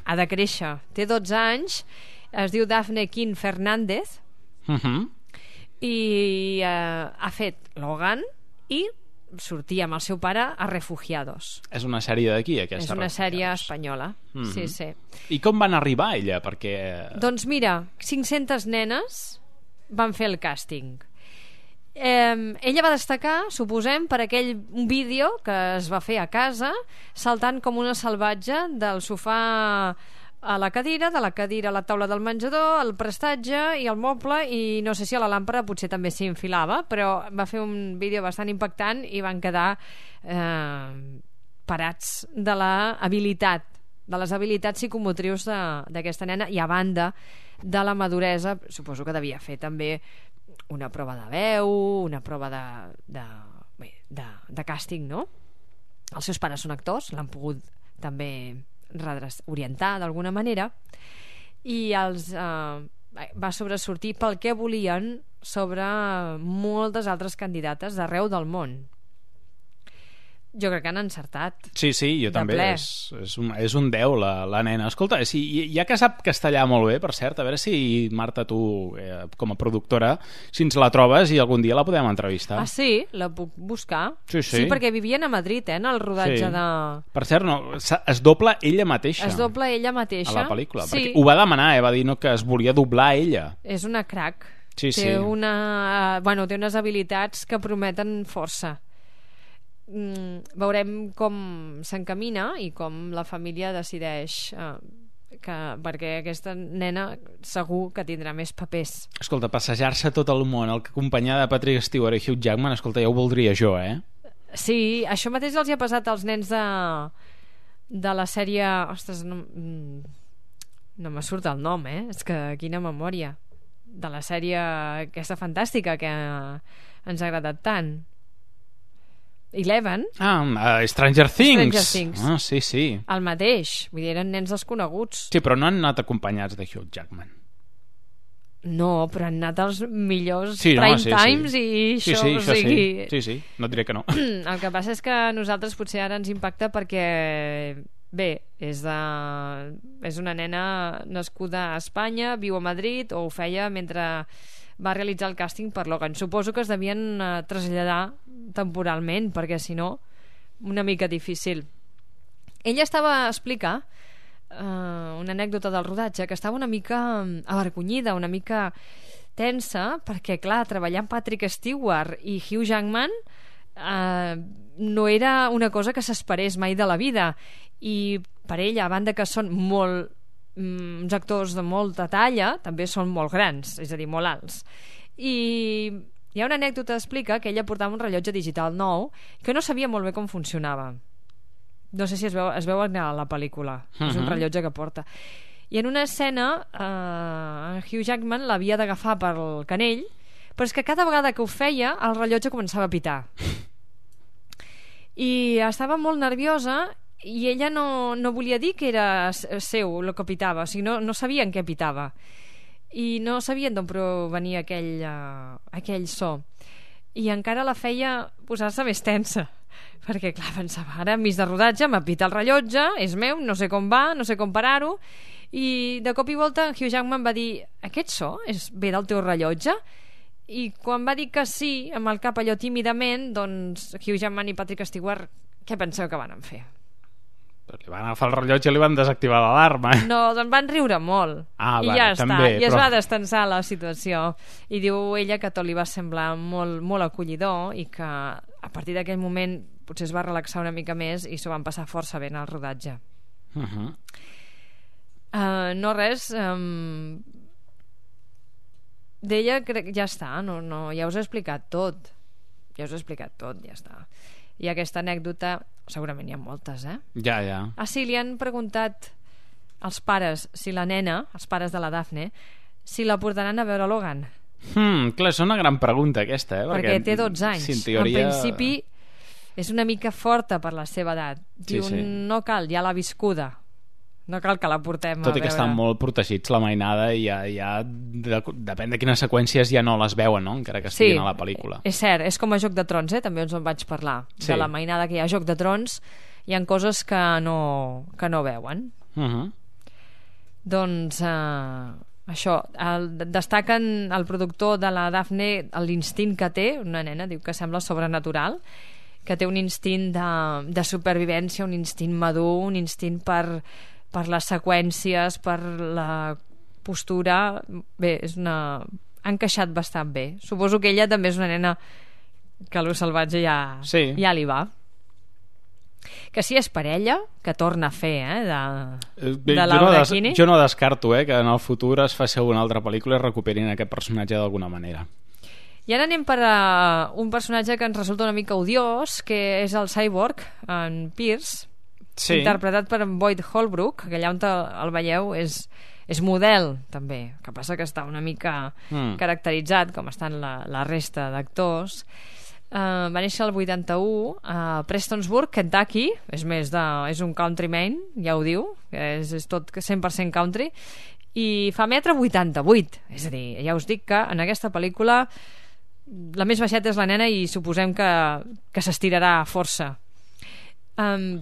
ha de créixer, té dotze anys, es diu Daphne King Fernández, Uh -huh. i uh, ha fet Logan i sortia amb el seu pare a Refugiados. És una sèrie d'aquí, aquesta. És una sèrie Refugiados. espanyola. Mhm. Sí, sí. I com van arribar ella? Perquè... Doncs mira, cinc-centes nenes van fer el càsting. Eh, ella va destacar, suposem, per aquell un vídeo que es va fer a casa, saltant com una salvatge del sofà a la cadira, de la cadira a la taula del menjador, al prestatge i al moble, i no sé si a la làmpara potser també s'hi enfilava, però va fer un vídeo bastant impactant i van quedar eh, parats de la habilitat, de les habilitats psicomotrius de- d'aquesta nena, i a banda de la maduresa, suposo que devia fer també una prova de veu, una prova de, de, bé, de, de càsting, no? Els seus pares són actors, l'han pogut també redres- orientar d'alguna manera, i els eh, va sobresortir pel que volien sobre moltes altres candidates d'arreu del món. Jo crec que han encertat. Sí, sí, jo De també. ple. És, és, un, és un deu, la, la nena. Escolta, si, ja que sap castellà molt bé, per cert, a veure si, Marta, tu, eh, com a productora, si ens la trobes i algun dia la podem entrevistar. Ah, sí? La puc buscar? Sí, sí. Sí, perquè vivien a Madrid, eh, en el rodatge Sí. de... Per cert, no, s'ha- es dobla ella mateixa. Es dobla ella mateixa. A la pel·lícula. Sí. Perquè ho va demanar, eh? Va dir no, que es volia doblar ella. És una crac. Sí, té sí. Una, bueno, té unes habilitats que prometen força. Mm, veurem com s'encamina i com la família decideix eh, que, perquè aquesta nena segur que tindrà més papers. Escolta, passejar-se tot el món, el que acompanyada de Patrick Stewart i Hugh Jackman, escolta, ja ho voldria jo, eh? Sí, això mateix els hi ha passat als nens de, de la sèrie... Ostres, no, mm, no me surt el nom, eh? És que quina memòria. De la sèrie aquesta fantàstica que ens ha agradat tant. Eleven. Ah, uh, Stranger Things. Stranger Things. Ah, sí, sí. El mateix, vull dir, eren nens desconeguts. Sí, però no han anat acompanyats de Hugh Jackman. No, però han anat els millors Sí, no, prime sí, sí. times i Sí, això, sí, o això sigui... sí. Sí, sí, no et diré que no. El que passa és que a nosaltres potser ara ens impacta perquè, bé, és, de... és una nena nascuda a Espanya, viu a Madrid, o ho feia mentre va realitzar el càsting per Logan. Suposo que es devien eh, traslladar temporalment, perquè si no, una mica difícil. Ella estava a explicar uh, una anècdota del rodatge, que estava una mica avergonyida, una mica tensa, perquè clar, treballar amb Patrick Stewart i Hugh Jackman uh, no era una cosa que s'esperés mai de la vida, i per ella, a banda que són molt mm, uns actors de molta talla també són molt grans, és a dir, molt alts. I hi ha una anècdota que explica que ella portava un rellotge digital nou que no sabia molt bé com funcionava. No sé si es veu, es veu a la pel·lícula. Uh-huh. És un rellotge que porta. I en una escena eh, Hugh Jackman l'havia d'agafar pel canell, però és que cada vegada que ho feia el rellotge començava a pitar i estava molt nerviosa i ella no, no volia dir que era seu el que pitava, o sigui, no, no sabien què pitava i no sabien d'on provenia aquell, uh, aquell so, i encara la feia posar-se més tensa perquè clar, pensava, ara enmig de rodatge m'ha pitat el rellotge, és meu, no sé com va, no sé com parar-ho, i de cop i volta Hugh Jackman va dir, aquest so és ve del teu rellotge? I quan va dir que sí, amb el cap allò tímidament, doncs Hugh Jackman i Patrick Stewart, què penseu que van fer? Li van agafar el rellotge i li van desactivar l'alarma. No, doncs van riure molt. Ah, I vale, ja també, està, i però... es va destensar la situació. I diu ella que tot li va semblar molt, molt acollidor i que a partir d'aquell moment potser es va relaxar una mica més i s'ho van passar força bé en el rodatge. Uh-huh. Uh, no res... Um... D'ella crec que ja està, no, no, ja us he explicat tot. Ja us he explicat tot, ja està. I aquesta anècdota, segurament hi ha moltes, eh? Ja, ja. Ah, sí, li han preguntat als pares si la nena, els pares de la Daphne, si la portaran a veure Logan. Hmm, clar, és una gran pregunta aquesta, eh? Perquè, perquè té dotze anys. Si en teoria... En principi és una mica forta per la seva edat. Diu, sí, sí. No cal, ja l'ha viscuda. No cal que la portem Tot a veure. i que estan molt protegits la mainada i ja, ja de, depèn de quines seqüències ja no les veuen, no? Encara que estiguin sí, a la pel·lícula. És cert, és com a Joc de Trons, eh? També us en vaig parlar. Sí. De la mainada que hi ha a Joc de Trons hi ha coses que no, que no veuen. Uh-huh. Doncs eh, això, el, destaquen el productor de la Daphne l'instint que té, una nena, diu que sembla sobrenatural, que té un instint de, de supervivència, un instint madur, un instint per... per les seqüències, per la postura. Bé, és una... ha encaixat bastant bé. Suposo que ella també és una nena que lo salvatge ja, sí. ja li va. Que si és parella, que torna a fer, eh, de, Bé, de Laura jo no, Kinney. jo no descarto eh, que en el futur es faci una altra pel·lícula i recuperin aquest personatge d'alguna manera. I ara anem per a un personatge que ens resulta una mica odiós, que és el Cyborg, en Pierce, sí. Interpretat per en Boyd Holbrook, que allà on el veieu és, és model també, que passa que està una mica mm. caracteritzat com estan la, la resta d'actors. Uh, va néixer el vuitanta-u a Prestonsburg, Kentucky, és més de, és un countryman, ja ho diu, és, és tot cent per cent country, i fa metre vuitanta-vuit, és a dir, ja us dic que en aquesta pel·lícula la més baixeta és la nena i suposem que, que s'estirarà força. um,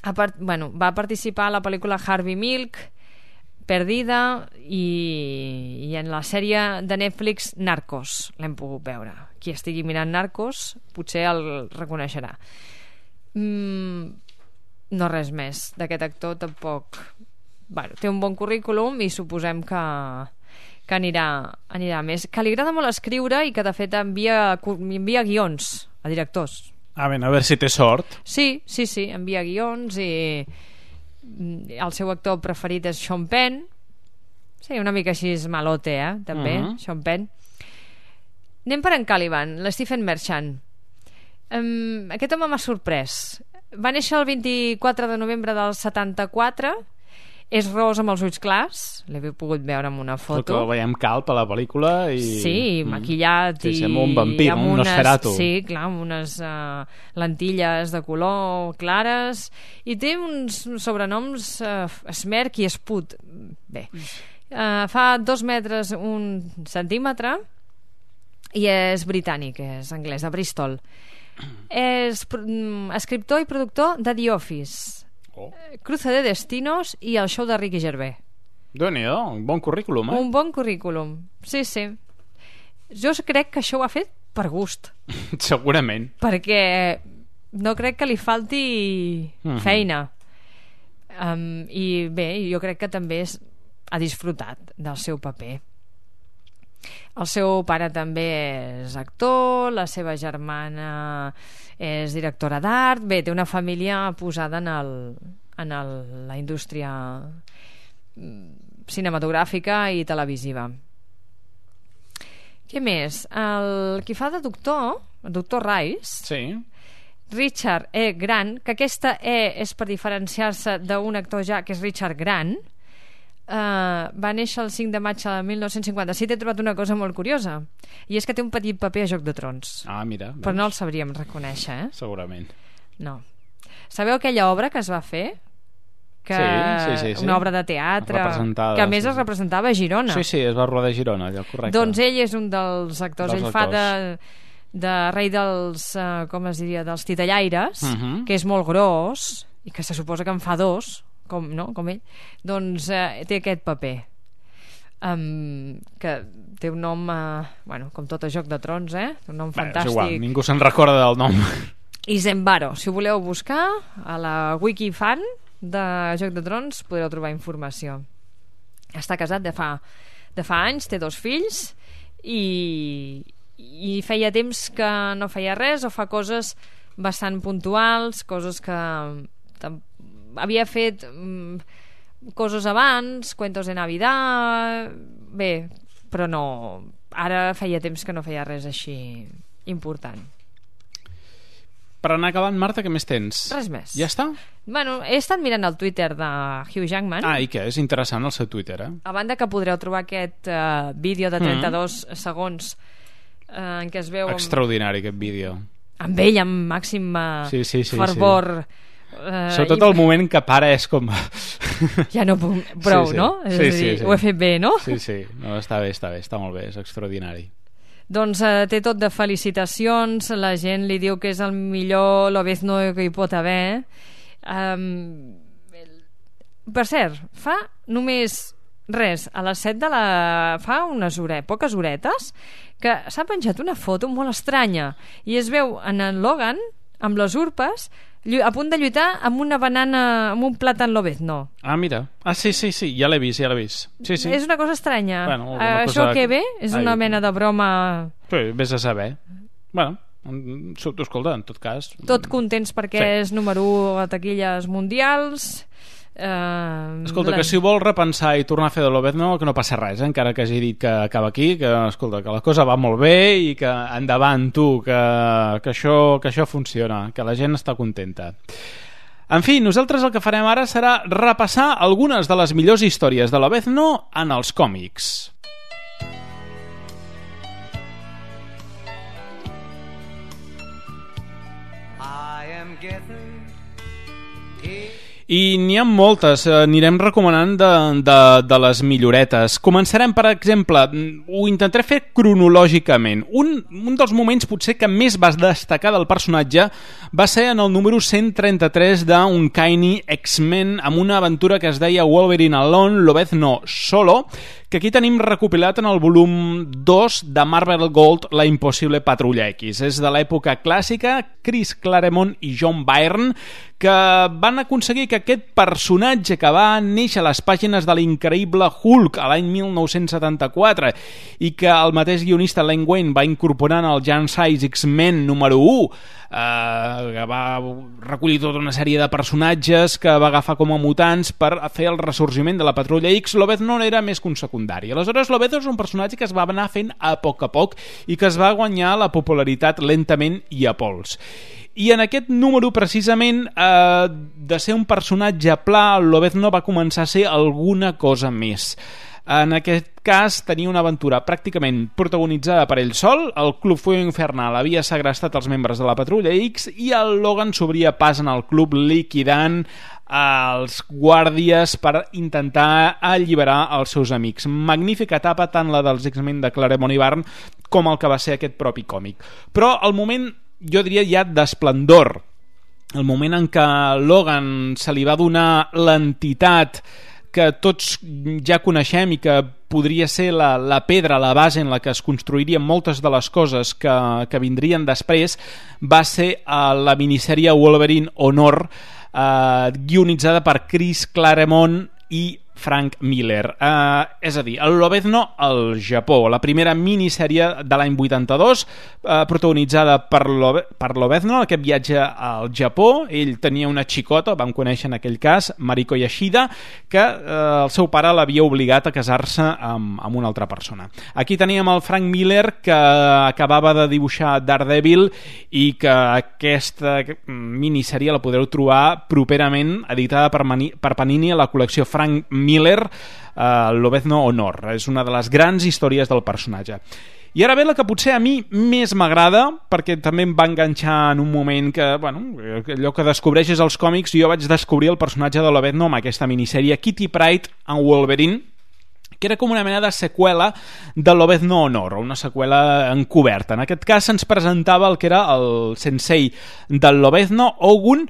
A part, bueno, va participar a la pel·lícula Harvey Milk, Perdida i, i en la sèrie de Netflix Narcos l'hem pogut veure. Qui estigui mirant Narcos potser el reconeixerà. mm, no res més d'aquest actor tampoc. Bueno, té un bon currículum i suposem que, que anirà, anirà més, que li agrada molt escriure i que de fet envia, envia guions a directors. A veure, a veure si té sort. Sí, sí, sí, envia guions i el seu actor preferit és Sean Penn. Sí, una mica així és malote, eh, també, uh-huh. Sean Penn. Anem per en Caliban, l'Stephen Merchant. Um, aquest home m'ha sorprès. Va néixer el vint-i-quatre de novembre del setanta-quatre. És ros amb els ulls clars, l'he pogut veure amb una foto. Perquè el veiem calp a la pel·lícula i... Sí, maquillat sí, i... sembla un vampir, un unes, Nosferatu. Sí, clar, amb unes uh, lentilles de color clares i té uns sobrenoms uh, Smerk i Sput. Bé, uh, fa dos metres un centímetre i és britànic, és anglès, de Bristol. És mm, escriptor i productor de The Office, Oh. Cruce de Destinos i el show de Ricky Gervais. Déu-n'hi-do, un bon currículum, eh? Un bon currículum, sí, sí. Jo crec que això ho ha fet per gust. Segurament. Perquè no crec que li falti uh-huh. feina. Um, I bé, jo crec que també és, ha disfrutat del seu paper. El seu pare també és actor, la seva germana és directora d'art. Bé, té una família posada en, el, en el, la indústria cinematogràfica i televisiva. Què més? El qui fa de doctor, el doctor Rice, sí. Richard E. Grant, que aquesta E és per diferenciar-se d'un actor ja que és Richard Grant, uh, va néixer el cinc de maig de mil nou-cents cinquanta-set. He trobat una cosa molt curiosa, i és que té un petit paper a Joc de Trons. Ah, mira. Però no el sabríem reconèixer, eh? Segurament. No. Sabeu aquella obra que es va fer? Que sí, sí, sí, sí. Una obra de teatre que a més sí, es representava a Girona. Sí, sí, es va rodar a Girona, allò, correcte. Doncs ell és un dels actors, dels ell actors. fa de, de rei dels uh, com es diria, dels titellaires, uh -huh. que és molt gros i que se suposa que en fa dos, com, no? com ell, doncs uh, té aquest paper, um, que té un nom uh, bueno, com tot a Joc de Trons, eh? Un nom Bé, fantàstic. És igual, ningú se'n recorda del nom. Isenbaro, si ho voleu buscar a la Wikifan de Joc de Trons podreu trobar informació. Està casat de fa, de fa anys, té dos fills i, i feia temps que no feia res o fa coses bastant puntuals, coses que havia fet um, coses abans, cuentos de Navidad, bé, però no, ara feia temps que no feia res així important. Per anar acabant, Marta, què més tens? Res més. Ja està? Bueno, he estat mirant el Twitter de Hugh Jackman. Ah, i què? És interessant el seu Twitter, eh? A banda que podreu trobar aquest uh, vídeo de trenta-dos mm. segons uh, en què es veu... Extraordinari, aquest vídeo. Amb ell, amb màxim uh, sí, sí, sí, fervor. Sí. Uh, Sobretot i... el moment que para és com... ja no puc... Prou, sí, sí. no? És sí, a dir, sí, sí. ho he fet bé, no? Sí, sí. No, està bé, està bé, està molt bé, és extraordinari. Doncs eh, té tot de felicitacions, la gent li diu que és el millor Lobezno que hi pot haver. Um, per cert, fa només res, a les set de la... fa unes hores, poques horetes, que s'ha penjat una foto molt estranya i es veu en en Logan amb les urpes a punt de lluitar amb una banana, amb un plàtan Lobezno. Ah, mira. Ah, sí, sí, sí, ja l'he vist, ja l'he vist. Sí, sí. És una cosa estranya. Bueno, uh, això que ve és Ai, una mena de broma... Sí, vés a saber. Bueno, escolta, en tot cas... Tot contents perquè sí. És número u a taquilles mundials... Uh, escolta, que si ho vol repensar i tornar a fer de Lobezno, que no passa res, eh? Encara que hagi dit que acaba aquí, que escolta, que la cosa va molt bé i que endavant tu, que, que, això, que això funciona, que la gent està contenta. En fi, nosaltres el que farem ara serà repassar algunes de les millors històries de Lobezno en els còmics. I am getting I n'hi ha moltes, eh, anirem recomanant de, de, de les milloretes. Començarem, per exemple, ho intentaré fer cronològicament. Un, un dels moments potser que més va destacar del personatge va ser en el número cent trenta-tres d'Uncanny X-Men, amb una aventura que es deia Wolverine Alone, Lobezno Solo, que aquí tenim recopilat en el volum dos de Marvel Gold, La Impossible Patrulla X. És de l'època clàssica, Chris Claremont i John Byrne, que van aconseguir que aquest personatge que va néixer a les pàgines de l'increïble Hulk a l'any mil nou-cents setanta-quatre i que el mateix guionista Len Wein va incorporar en el Giant Size X-Men número u, eh, que va recollir tota una sèrie de personatges que va agafar com a mutants per fer el ressorgiment de la Patrulla X. Lobezno era més que un secundari. Aleshores, Lobezno és un personatge que es va anar fent a poc a poc i que es va guanyar la popularitat lentament i a pols. I en aquest número, precisament, eh, de ser un personatge pla, Lobezno va començar a ser alguna cosa més. En aquest cas, tenia una aventura pràcticament protagonitzada per ell sol, el Club Fuego Infernal havia segrestat els membres de la Patrulla X i el Logan s'obria pas en el club liquidant els guàrdies per intentar alliberar els seus amics. Magnífica etapa, tant la dels X-Men de Claremont i Byrne com el que va ser aquest propi còmic. Però el moment, jo diria ja d'esplendor, el moment en què Logan se li va donar l'entitat que tots ja coneixem i que podria ser la, la pedra, la base en la que es construirien moltes de les coses que, que vindrien després, va ser uh, la minissèrie Wolverine Honor, uh, guionitzada per Chris Claremont i Frank Miller. Uh, és a dir, el Lobezno al Japó, la primera minissèrie de l'any vuitanta-dos, uh, protagonitzada per, Lobe per Lobezno, aquest viatge al Japó. Ell tenia una xicota, vam conèixer en aquell cas, Mariko Yashida, que uh, el seu pare l'havia obligat a casar-se amb, amb una altra persona. Aquí teníem el Frank Miller, que acabava de dibuixar Daredevil i que aquesta minissèrie la podreu trobar properament editada per, Mani per Panini a la col·lecció Frank Miller, uh, Lobezno Honor. És una de les grans històries del personatge. I ara ve la que potser a mi més m'agrada, perquè també em va enganxar en un moment que, bueno, allò que descobreixes els còmics, jo vaig descobrir el personatge de Lobezno amb aquesta minissèrie Kitty Pryde and Wolverine, que era com una mena de seqüela de Lobezno Honor, una seqüela encoberta. En aquest cas se'ns presentava el que era el sensei del Lobezno, Ogun,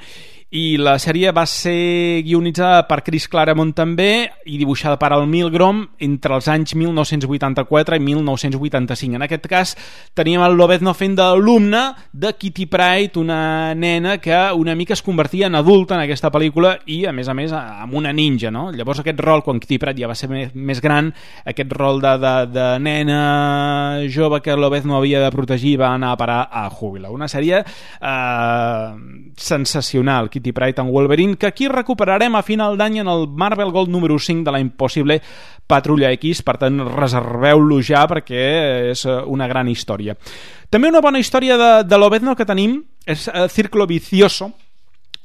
i la sèrie va ser guionitzada per Chris Claremont també i dibuixada per Al Milgrom entre els anys mil nou-cents vuitanta-quatre i mil nou-cents vuitanta-cinc. En aquest cas teníem el Lobezno fent d'alumne de Kitty Pryde, una nena que una mica es convertia en adulta en aquesta pel·lícula i a més a més amb una ninja, no? Llavors aquest rol, quan Kitty Pryde ja va ser més, més gran, aquest rol de, de, de nena jove que Lobezno havia de protegir va anar a parar a Júbilo. Una sèrie eh, sensacional, Kitty Pryde and Wolverine, que aquí recuperarem a final d'any en el Marvel Gold número cinc de la impossible Patrulla X, per tant reserveu-lo ja perquè és una gran història. També una bona història de, de Lobezno que tenim és uh, Círculo Vicioso.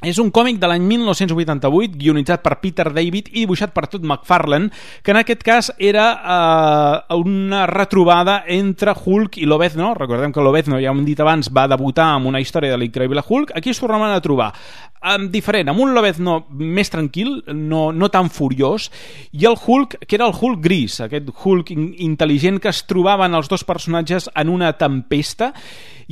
És un còmic de l'any mil nou-cents vuitanta-vuit, guionitzat per Peter David i dibuixat per Todd McFarlane, que en aquest cas era eh, una retrobada entre Hulk i Lobezno. Recordem que Lobezno, ja ho hem dit abans, va debutar amb una història de l'Increïble Hulk. Aquí es tornaven a trobar um, diferent, amb un Lobezno més tranquil, no, no tan furiós, i el Hulk, que era el Hulk gris, aquest Hulk in intel·ligent que es trobaven els dos personatges en una tempesta.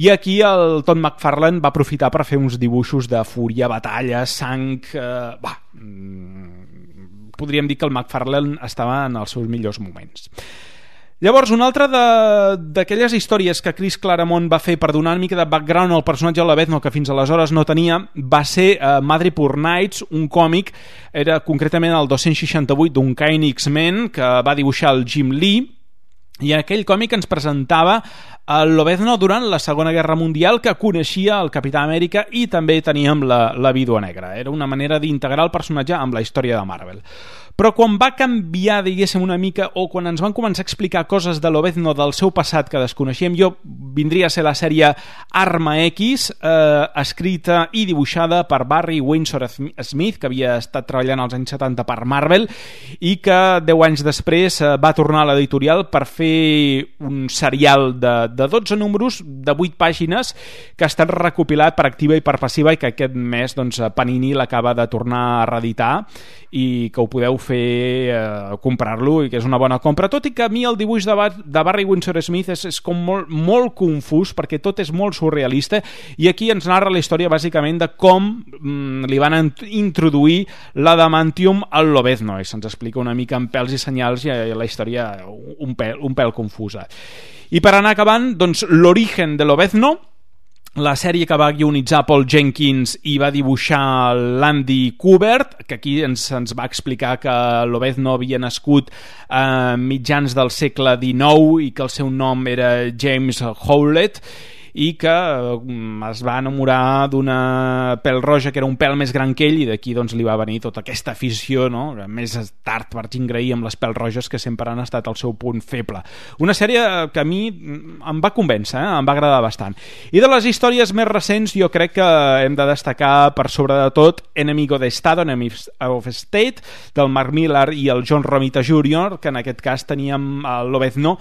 I aquí el Todd McFarlane va aprofitar per fer uns dibuixos de fúria, batalla, sang... Eh, bah, mm, podríem dir que el McFarlane estava en els seus millors moments. Llavors, una altra d'aquelles històries que Chris Claremont va fer per donar una mica de background al personatge de Lobezno que fins aleshores no tenia, va ser uh, Madripoor Nights, un còmic, era concretament el dos-cents seixanta-vuit d'un Uncanny X-Men que va dibuixar el Jim Lee, i en aquell còmic ens presentava el Lobezno durant la Segona Guerra Mundial, que coneixia el Capità Amèrica i també teníem la, la Vídua Negra. Era una manera d'integrar el personatge amb la història de Marvel. Però quan va canviar, diguéssim, una mica, o quan ens van començar a explicar coses de Lobezno del seu passat que desconeixíem, jo vindria a ser la sèrie Arma X, eh, escrita i dibuixada per Barry Windsor Smith, que havia estat treballant als anys setanta per Marvel, i que deu anys després eh, va tornar a l'editorial per fer un serial de, de dotze números, de vuit pàgines, que ha estat recopilat per activa i per passiva i que aquest mes doncs, Panini l'acaba de tornar a reeditar i que ho podeu fer eh, comprar-lo i que és una bona compra, tot i que a mi el dibuix de, Bar de Barry Windsor Smith és, és com molt, molt confús perquè tot és molt surrealista i aquí ens narra la història bàsicament de com mm, li van introduir l'adamantium al Lobezno i se'ns explica una mica en pèls i senyals i la història un pèl, un pèl confusa. I per anar acabant, doncs l'origen de Lobezno, la sèrie que va guionitzar Paul Jenkins i va dibuixar l'Andy Kubert, que aquí ens, ens va explicar que Lobezno havia nascut a mitjans del segle dinou i que el seu nom era James Howlett i que es va enamorar d'una pèl roja que era un pèl més gran que ell i d'aquí doncs, li va venir tota aquesta afició, no? Més tard per Jean Grey amb les pèls roges que sempre han estat el seu punt feble. Una sèrie que a mi em va convèncer, eh? Em va agradar bastant. I de les històries més recents jo crec que hem de destacar per sobre de tot Enemigo de Estado, Enemy of State, del Mark Millar i el John Romita júnior, que en aquest cas teníem el Lobezno,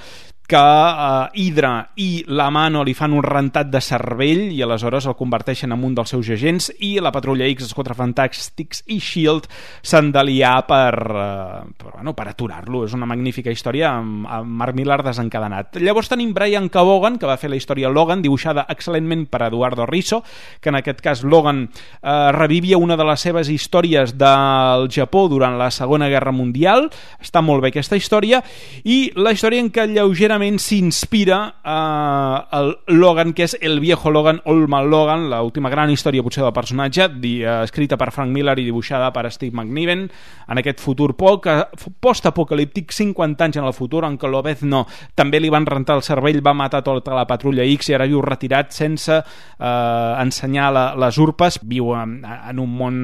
que eh, Hydra i la Mano li fan un rentat de cervell i aleshores el converteixen en un dels seus agents i la Patrulla X, els Quatre Fantàstics i S H I E L D s'han d'aliar per, eh, per, bueno, per aturar-lo. És una magnífica història amb, amb Mark Millar desencadenat. Llavors tenim Brian Kevogan, que va fer la història Logan, dibuixada excel·lentment per Eduardo Risso, que en aquest cas Logan eh, revivia una de les seves històries del Japó durant la Segona Guerra Mundial. Està molt bé aquesta història i la història en què lleugerament clarament s'inspira eh, el Logan, que és el viejo Logan, Old Man Logan, l'última gran història potser del personatge, di, eh, escrita per Frank Miller i dibuixada per Steve McNiven, en aquest futur post-apocalíptic, cinquanta anys en el futur, en què Lobezno també li van rentar el cervell, va matar tota la patrulla X i ara viu retirat sense eh, ensenyar la, les urpes, viu en, en un món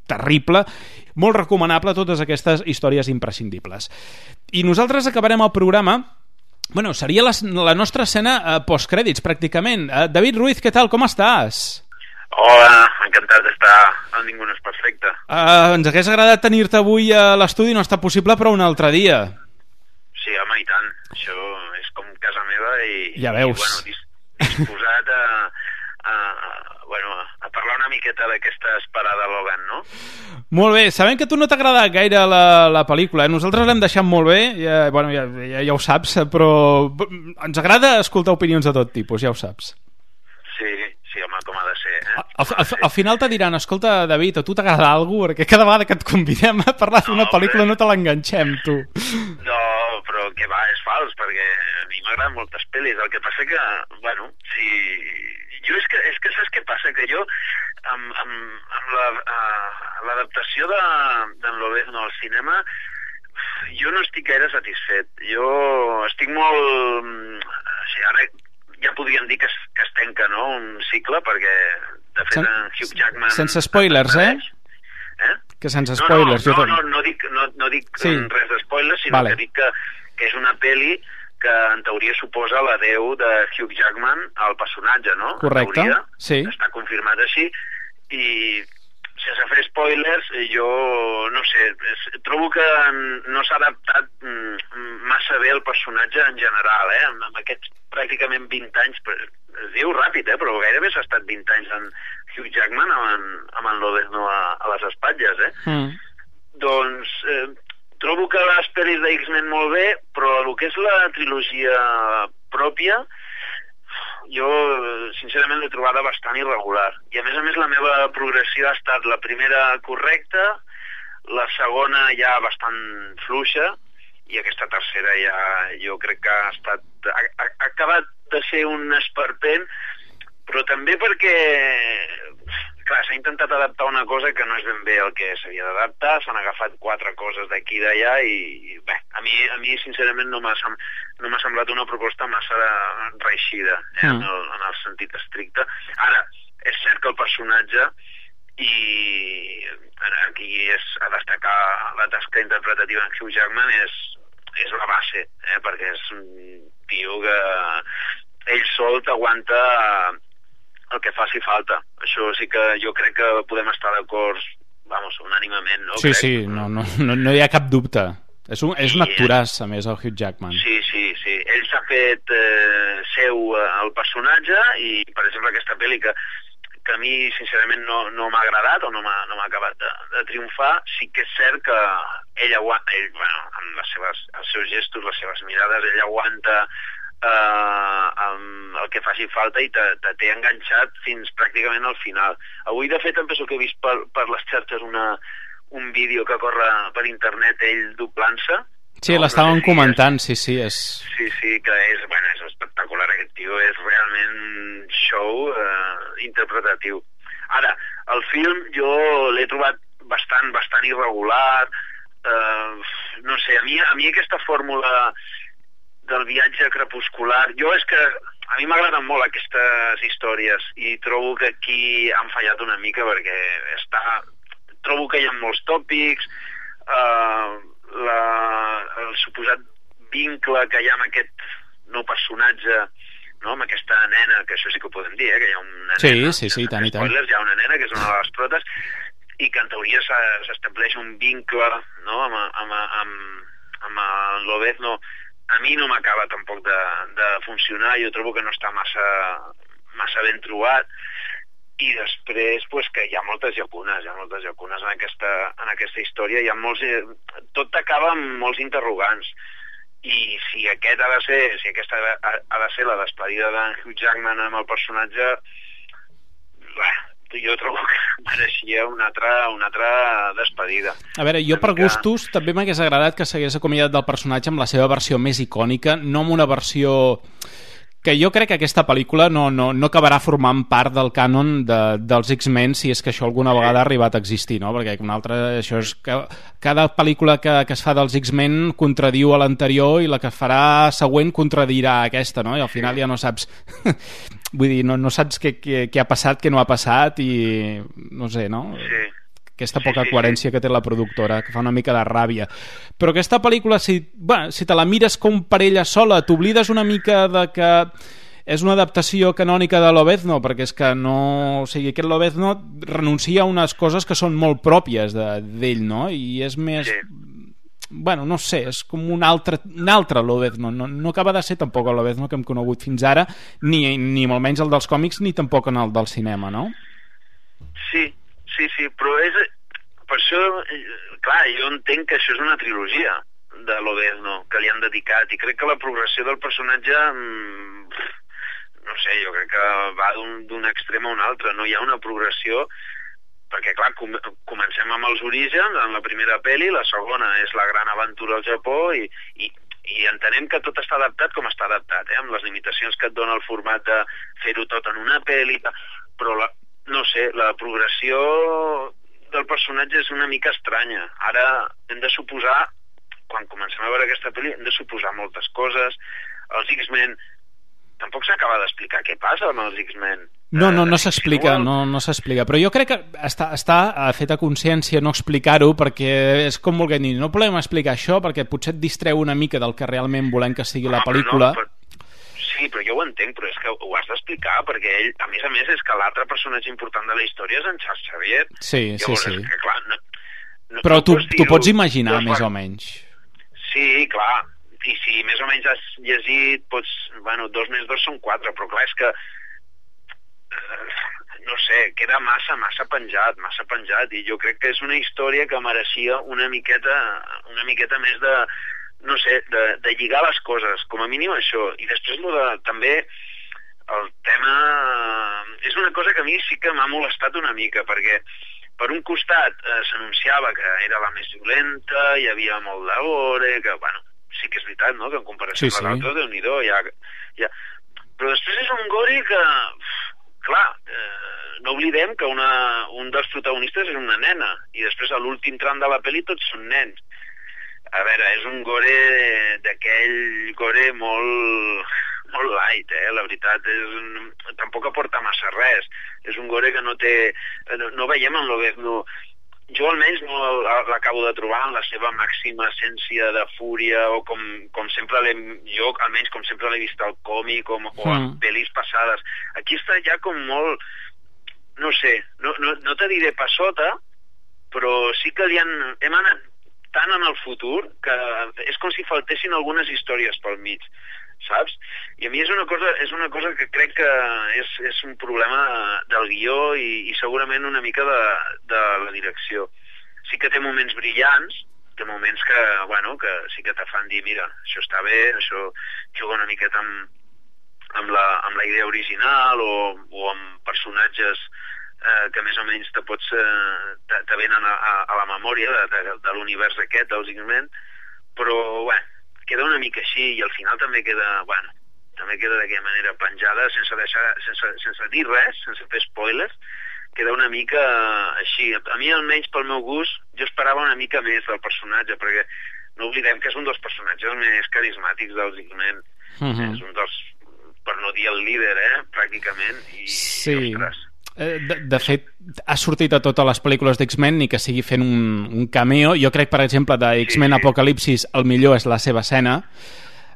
terrible. Molt recomanable totes aquestes històries imprescindibles. I nosaltres acabarem el programa, bueno, seria la, la nostra escena eh, postcrèdits pràcticament. eh, David Ruiz, què tal, com estàs? Hola, encantat d'estar en Ningú no és perfecte. eh, Ens hagués agradat tenir-te avui a l'estudi, no està possible, però un altre dia. Sí, home, i tant, això és com casa meva i, ja veus. I bueno, dis, disposat a, a, bueno, a parlar una miqueta d'aquesta esperada Logan, no? Molt bé, sabem que a tu no t'ha agradat gaire la, la pel·lícula, eh? Nosaltres l'hem deixat molt bé, ja, bueno, ja, ja, ja ho saps, però ens agrada escoltar opinions de tot tipus, ja ho saps. Sí, sí, home, com ha de ser, eh? Al, al, al final te diran, escolta, David, a tu t'agrada alguna cosa? Perquè cada vegada que et convidem a parlar d'una no, pel·lícula no te l'enganxem, tu. No, però que va, és fals, perquè a mi m'agraden moltes pel·lis, el que passa que, bueno, si... Jo és que, és que saps què passa? Que jo, amb, amb, amb la, uh, l'adaptació de, d'en Lobezno al cinema, jo no estic gaire satisfet. Jo estic molt... O sigui, ara ja podríem dir que es, que es tanca, no?, un cicle, perquè, de fet, Sen, en Hugh Jackman... Sense spoilers, eh? Eh? Que sense spoilers. No, no, jo no, no, no dic, no, no dic sí. res de spoilers, sinó vale. que dic que, que és una pel·li que en teoria suposa l'adeu de Hugh Jackman al personatge, no? Correcte, en teoria, sí. Està confirmat així, i sense fer spoilers, jo no sé, trobo que no s'ha adaptat massa bé el personatge en general, eh? Amb aquests pràcticament vint anys, es diu ràpid, eh? Però gairebé s'ha estat vint anys en Hugh Jackman amb en, amb en Lobezno a, a les espatlles, eh? Mm. Doncs... Eh, trobo que les pel·lis de X-Men molt bé, però el que és la trilogia pròpia, jo sincerament l'he trobada bastant irregular. I a més a més la meva progressió ha estat la primera correcta, la segona ja bastant fluixa, i aquesta tercera ja jo crec que ha estat... Ha, ha, ha acabat de ser un esperpent, però també perquè... Clar, s'ha intentat adaptar una cosa que no és ben bé el que s'havia d'adaptar, s'han agafat quatre coses d'aquí i d'allà i, i bé, a mi, a mi sincerament no m'ha, no m'ha semblat una proposta massa reeixida, eh, mm. en, el, en el sentit estricte. Ara, és cert que el personatge, i aquí és a destacar la tasca interpretativa en Hugh Jackman, és, és la base, eh, perquè és un tio que ell sol t'aguanta el que faci falta. Això sí que jo crec que podem estar d'acord, vamos, unànimament, no? Sí, crec. sí, no, no, no, no hi ha cap dubte. És un, és un actoràs, a més, el Hugh Jackman. Sí, sí, sí. Ell s'ha fet eh, seu eh, el personatge i, per exemple, aquesta pel·li que, que a mi, sincerament, no, no m'ha agradat o no m'ha no m'ha acabat de, de triomfar, sí que és cert que ell aguanta, ell, bueno, amb les seves, els seus gestos, les seves mirades, ell aguanta Uh, amb el que faci falta i te, te té enganxat fins pràcticament al final. Avui, de fet, em penso que he vist per, per les xarxes una, un vídeo que corre per internet ell doblant-se. Sí, no, l'estàvem no sé si comentant, és... sí, sí. És... Sí, sí, que és, bueno, és espectacular. Aquest tio és realment un show uh, interpretatiu. Ara, el film jo l'he trobat bastant, bastant irregular. Uh, no sé, a mi, a mi aquesta fórmula del viatge crepuscular, jo és que a mi m'agraden molt aquestes històries i trobo que aquí han fallat una mica perquè està... trobo que hi ha molts tòpics, eh, la, el suposat vincle que hi ha amb aquest nou personatge, no? Amb aquesta nena, que això sí que ho podem dir, eh? Que hi ha una sí, nena, sí, sí, tant i tant. Spoilers, hi ha una nena que és una de les protes i que en teoria s'estableix un vincle, no? amb, amb, amb, amb el Lobezno. A mi no m'acaba tampoc de, de funcionar, jo trobo que no està massa, massa ben trobat, i després pues, que hi ha moltes llacunes, hi ha moltes llacunes en aquesta, en aquesta història, hi ha molts, tot acaba amb molts interrogants, i si aquest ha de ser, si aquesta ha, ha de ser la despedida d'en Hugh Jackman amb el personatge, bé, jo trobo que mereixia una altra, una altra despedida. A veure, jo per gustos també m'hagués agradat que s'hagués acomiadat del personatge amb la seva versió més icònica, no amb una versió que jo crec que aquesta pel·lícula no, no, no acabarà formant part del cànon de, dels X-Men, si és que això alguna vegada ha arribat a existir, no? Perquè una altra, això és que cada pel·lícula que, que es fa dels X-Men contradiu a l'anterior i la que farà següent contradirà aquesta, no? I al final ja no saps vull dir, no, no saps què, què, què ha passat, què no ha passat i no sé, no? Sí. Aquesta poca coherència que té la productora, que fa una mica de ràbia. Però aquesta pel·lícula, si, bueno, si te la mires com per ella sola, t'oblides una mica de que és una adaptació canònica de Lobezno, perquè és que no... O sigui, aquest Lobezno renuncia a unes coses que són molt pròpies d'ell, de, no? I és més... Sí. Bueno, no sé, és com un altre, un altre Lobezno. No, no acaba de ser tampoc el Lobezno que hem conegut fins ara, ni, ni molt menys el dels còmics, ni tampoc en el del cinema, no? Sí, sí, sí, però és... Per això, clar, jo entenc que això és una trilogia de Lobezno que li han dedicat i crec que la progressió del personatge, no sé, jo crec que va d'un extrem a un altre, no hi ha una progressió perquè, clar, com, comencem amb els orígens en la primera pel·li, la segona és la gran aventura al Japó i, i, i entenem que tot està adaptat com està adaptat, eh, amb les limitacions que et dona el format de fer-ho tot en una pel·li, però la, no sé, la progressió del personatge és una mica estranya. Ara hem de suposar, quan comencem a veure aquesta pel·li, hem de suposar moltes coses. Els X-Men, tampoc s'acaba d'explicar què passa amb els X-Men. No, no, no s'explica, no, no s'explica. Però jo crec que està, està fet a consciència no explicar-ho, perquè és com volguem dir, no podem explicar això perquè potser et distreu una mica del que realment volem que sigui la pel·lícula. No, però... Sí, però jo ho entenc, però és que ho has d'explicar, perquè ell, a més a més, és que l'altre personatge important de la història és en Charles Xavier. Sí, Llavors, sí, sí. Que, clar, no, no, però no tu, pots tu pots imaginar, més o menys. Sí, clar. I si més o menys has llegit, pots... Bueno, dos més dos són quatre, però clar, és que... Eh, no sé, queda massa, massa penjat, massa penjat, i jo crec que és una història que mereixia una miqueta, una miqueta més de... no sé, de, de lligar les coses, com a mínim això, i després lo de, també el tema és una cosa que a mi sí que m'ha molestat una mica, perquè per un costat eh, s'anunciava que era la més violenta, hi havia molt de gore, que bueno, sí que és veritat, no?, que en comparació sí, amb l'altre, sí. Déu-n'hi-do, ja, ja... però després és un gore que, clar, eh, no oblidem que una, un dels protagonistes és una nena, i després a l'últim tram de la pel·li tots són nens. A veure, és un gore d'aquell gore molt, molt light, eh? La veritat, és un... tampoc aporta massa res. És un gore que no té... No, no veiem en Lobezno... Jo almenys no l'acabo de trobar en la seva màxima essència de fúria, o com, com sempre l'hem... Jo, almenys, com sempre l'he vist al còmic o, o en mm. pel·lis passades. Aquí està ja com molt... No sé, no, no, no te diré passota, però sí que li han... Hem anat tant en el futur que és com si faltessin algunes històries pel mig, saps? I a mi és una cosa, és una cosa que crec que és, és un problema del guió i, i segurament una mica de, de la direcció. Sí que té moments brillants, té moments que, bueno, que sí que te fan dir, mira, això està bé, això juga una miqueta amb, amb, la, amb la idea original o, o amb personatges Eh, que més o menys te pots eh, te, te venen a, a, a la memòria de, de, de l'univers aquest dels X-Men, però bueno, queda una mica així i al final també queda, bueno, també queda d'aquella manera penjada sense deixar, sense, sense dir res, sense fer spoilers, queda una mica així. A mi almenys pel meu gust jo esperava una mica més del personatge, perquè no oblidem que és un dels personatges més carismàtics dels X-Men. Uh-huh. És un dels, per no dir el líder, eh, pràcticament, i, sí. i ostres. De, de fet, ha sortit a totes les pel·lícules d'X-Men ni que sigui fent un, un cameo. Jo crec, per exemple, de X-Men sí, sí. Apocalipsis el millor és la seva escena,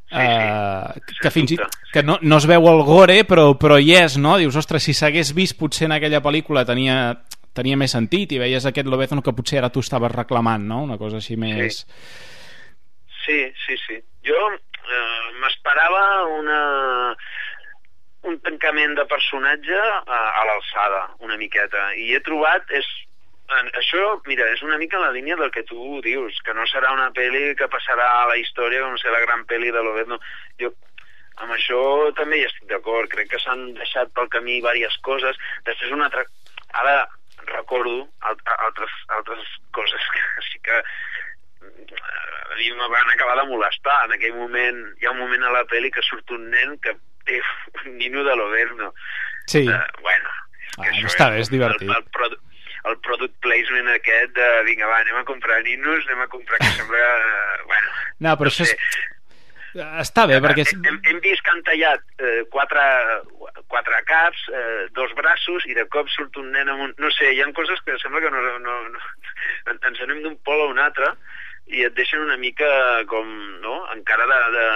sí, eh, sí. que fins i que no, no es veu el gore, però, però hi és, no? Dius, ostres, si s'hagués vist potser en aquella pel·lícula tenia, tenia més sentit i veies aquest Lobezno que potser ara tu estaves reclamant, no? Una cosa així més... Sí, sí, sí. Jo eh, m'esperava una... un tancament de personatge a, a l'alçada, una miqueta, i he trobat, és, això, mira, és una mica en la línia del que tu dius, que no serà una pel·li que passarà a la història com ser la gran pel·li de Lobezno. Jo amb això també hi estic d'acord, crec que s'han deixat pel camí diverses coses. Després una altra... ara recordo altres, altres coses que sí que a mi me van acabar de molestar. En aquell moment, hi ha un moment a la pel·li que surt un nen que té un nino de l'Overno. Sí. Uh, bueno, és que ah, això està és, bé, és divertit. El, el, produ el product placement aquest de, vinga, va, anem a comprar ninos, anem a comprar que sembla... Uh, bueno, no, però no això sé. És... Està bé, perquè... Hem, hem vist que han tallat eh, quatre, quatre caps, eh, dos braços, i de cop surt un nen amb un... No sé, hi ha coses que sembla que no, no, no... ens anem d'un pol a un altre i et deixen una mica com, no?, encara de... de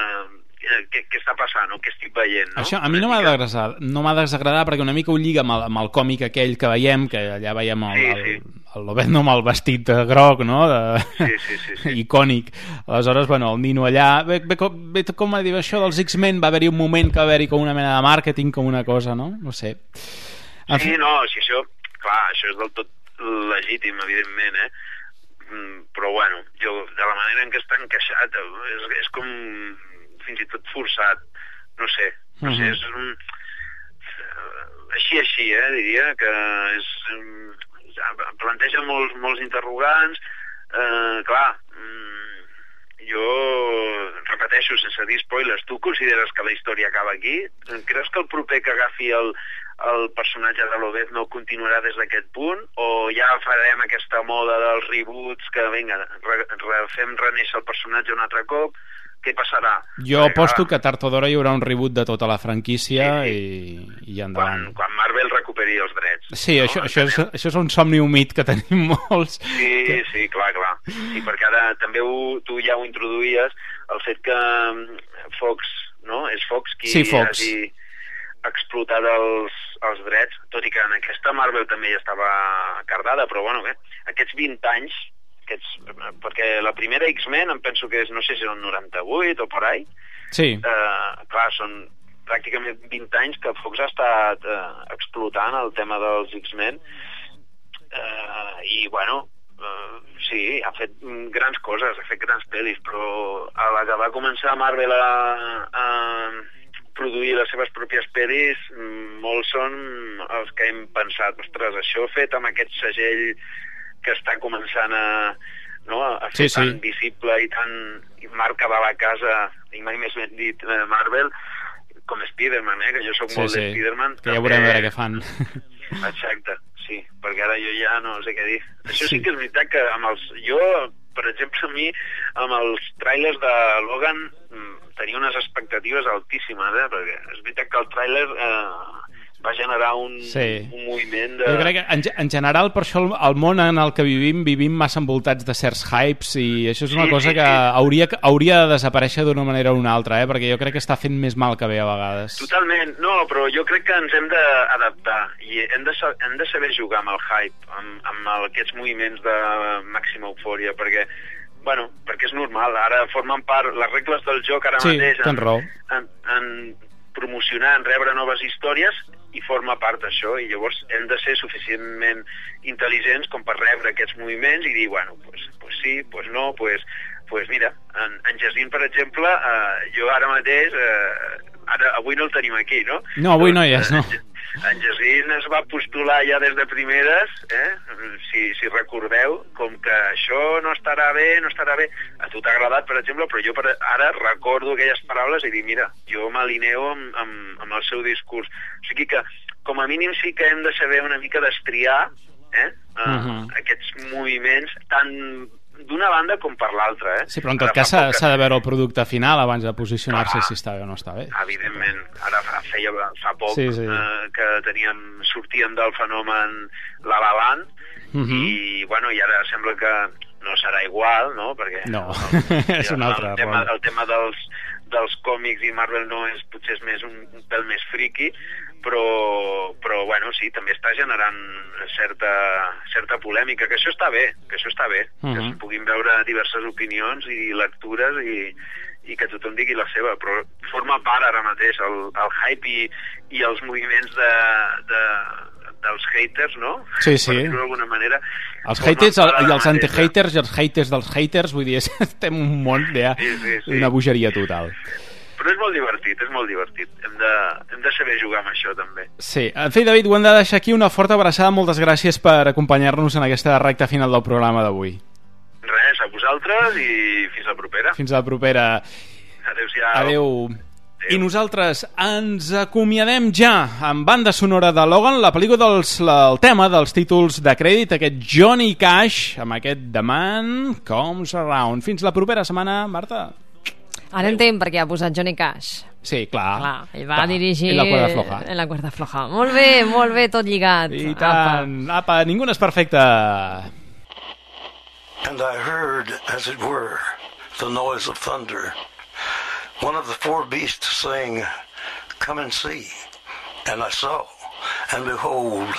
què, què està passant o què estic veient, no? Això a mi no m'ha desagradar, no m'ha desagradar perquè una mica ho lliga amb el, amb el còmic aquell que veiem, que allà veiem el, sí, sí. el, el Lobezno amb el vestit groc, no?, de... sí, sí, sí, sí. icònic. Aleshores, bueno, el nino allà... Bé, bé, bé, com a dir això dels X-Men, va haver-hi un moment que va haver-hi com una mena de màrqueting, com una cosa, no? No sé. En sí, fi... no, si això... Clar, això és del tot legítim, evidentment, eh? Però, bueno, jo, de la manera en què està encaixat, és, és com... fins i tot forçat, no sé, no sé, és un... així, així, eh, diria que és... planteja molts, molts interrogants, eh, clar, jo repeteixo, sense dir spoilers, tu consideres que la història acaba aquí? Creus que el proper que agafi el, el personatge de Lobezno continuarà des d'aquest punt, o ja farem aquesta moda dels reboots que, vinga, re, re, fem reneixer el personatge un altre cop? Què passarà? Jo Perquè, aposto que tard o d'hora hi haurà un reboot de tota la franquícia, sí, sí. i, i endavant. Quan, quan Marvel recuperi els drets. Sí, no? això, això, és, això és un somni humit que tenim molts. Sí, que... sí, clar, clar. Sí, perquè ara també ho, tu ja ho introduïes, el fet que Fox, no? És Fox qui sí, Fox. hagi explotat els, els drets, tot i que en aquesta Marvel també ja estava cardada, però bueno, bé, aquests vint anys, aquests, perquè la primera X-Men em penso que és, no sé si és el noranta-vuit o por ahí, sí. eh, clar, són pràcticament vint anys que Fox ha estat eh, explotant el tema dels X-Men, eh, i bueno, eh, sí, ha fet grans coses, ha fet grans pel·lis, però a la que va començar Marvel a, a produir les seves pròpies pel·lis, molts són els que hem pensat, ostres, això fet amb aquest segell que està començant a, no, a fer sí, tan sí. visible i tan marca de la casa, i mai més ben dit eh, Marvel, com Spider-Man, eh, que jo soc sí, molt sí. de Spider-Man. Que ja veurem a veure què fan. Exacte, sí, perquè ara jo ja no sé què dir. Això sí, sí que és veritat que amb els... Jo, per exemple, a mi, amb els tràilers de Logan tenia unes expectatives altíssimes, eh, perquè és veritat que el tràiler... Eh, va generar un, sí. un moviment de... Jo crec que en, en general per això el, el món en el que vivim vivim massa envoltats de certs hypes i això és una sí, cosa sí, que sí. Hauria, hauria de desaparèixer d'una manera o una altra, eh? Perquè jo crec que està fent més mal que bé a vegades. Totalment, no, però jo crec que ens hem d'adaptar i hem de, hem de saber jugar amb el hype, amb, amb aquests moviments de màxima eufòria, perquè bueno, perquè és normal, ara formen part les regles del joc ara sí, mateix en, en, en promocionar, en rebre noves històries i forma part d'això, i llavors hem de ser suficientment intel·ligents com per rebre aquests moviments i dir, bueno, pues, pues sí, pues no, pues, pues mira, en, en Jacint, per exemple, eh, jo ara mateix, eh, ara, avui no el tenim aquí, no? No, avui no hi és, no. En Jacint es va postular ja des de primeres, eh? si, si recordeu, com que això no estarà bé, no estarà bé. A tu t'ha agradat, per exemple, però jo per ara recordo aquelles paraules i dic, mira, jo m'alineo amb, amb, amb el seu discurs. O sigui que, com a mínim, sí que hem de saber una mica destriar eh? uh, uh-huh. aquests moviments tan d'una banda com per l'altra, eh? Sí, però en tot cas s'ha que... de veure el producte final abans de posicionar-se ah, si està bé o no està bé. Evidentment. Ara feia fa poc sí, sí. Eh, que teníem, sortíem del fenomen La La Land uh-huh. i, bueno, i ara sembla que no serà igual, no? Perquè no, el, és un altre el tema, el tema dels, dels còmics i Marvel no és, potser és més un, un pèl més friqui, però, però bueno, sí, també està generant certa, certa polèmica, que això està bé, que això està bé, uh-huh. que es puguin veure diverses opinions i lectures i, i que tothom digui la seva, però forma part ara mateix el, el hype i, i els moviments de, de, dels haters, no? Sí, sí. Per dir-ho d'alguna manera. Els haters el, i els anti-haters i els haters dels haters, vull dir, estem un món ja, sí, sí, sí. una bogeria total. però és molt divertit, és molt divertit. Hem de, hem de saber jugar amb això, també. Sí, en fi, David, ho hem de deixar aquí. Una forta abraçada, moltes gràcies per acompanyar-nos en aquesta recta final del programa d'avui. Res, a vosaltres i fins la propera. Fins la propera. Adéu-siau. Adéu. I nosaltres ens acomiadem ja amb banda sonora de Logan, la pel·lícula dels, la, el tema dels títols de crèdit, aquest Johnny Cash, amb aquest The Man Comes Around. Fins la propera setmana, Marta. Ara entenc per què ha posat Johnny Cash. Sí, clar. clar ell va clar. dirigir... En la cuerda floja. En la cuerda floja. Molt bé, molt bé, tot lligat. I tant. Apa, Apa ningú no és perfecte. And I heard, as it were, the noise of thunder. One of the four beasts saying, "Come and see." And I saw, and behold,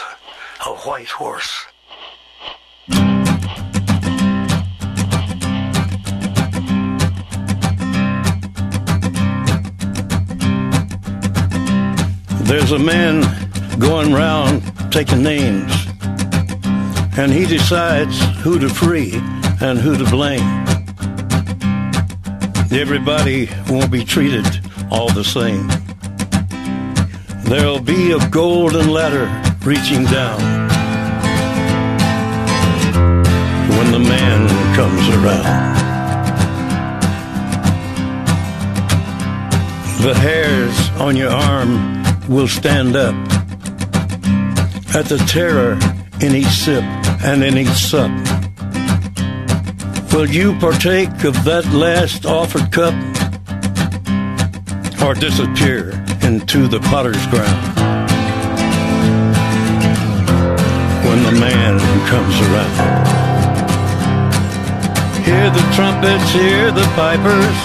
a white horse. There's a man going round taking names, and he decides who to free and who to blame. Everybody won't be treated all the same. There'll be a golden ladder reaching down when the man comes around. The hairs on your arm will stand up at the terror in each sip and in each sup. Will you partake of that last offered cup, or disappear into the potter's ground when the man comes around? Hear the trumpets, hear the pipers,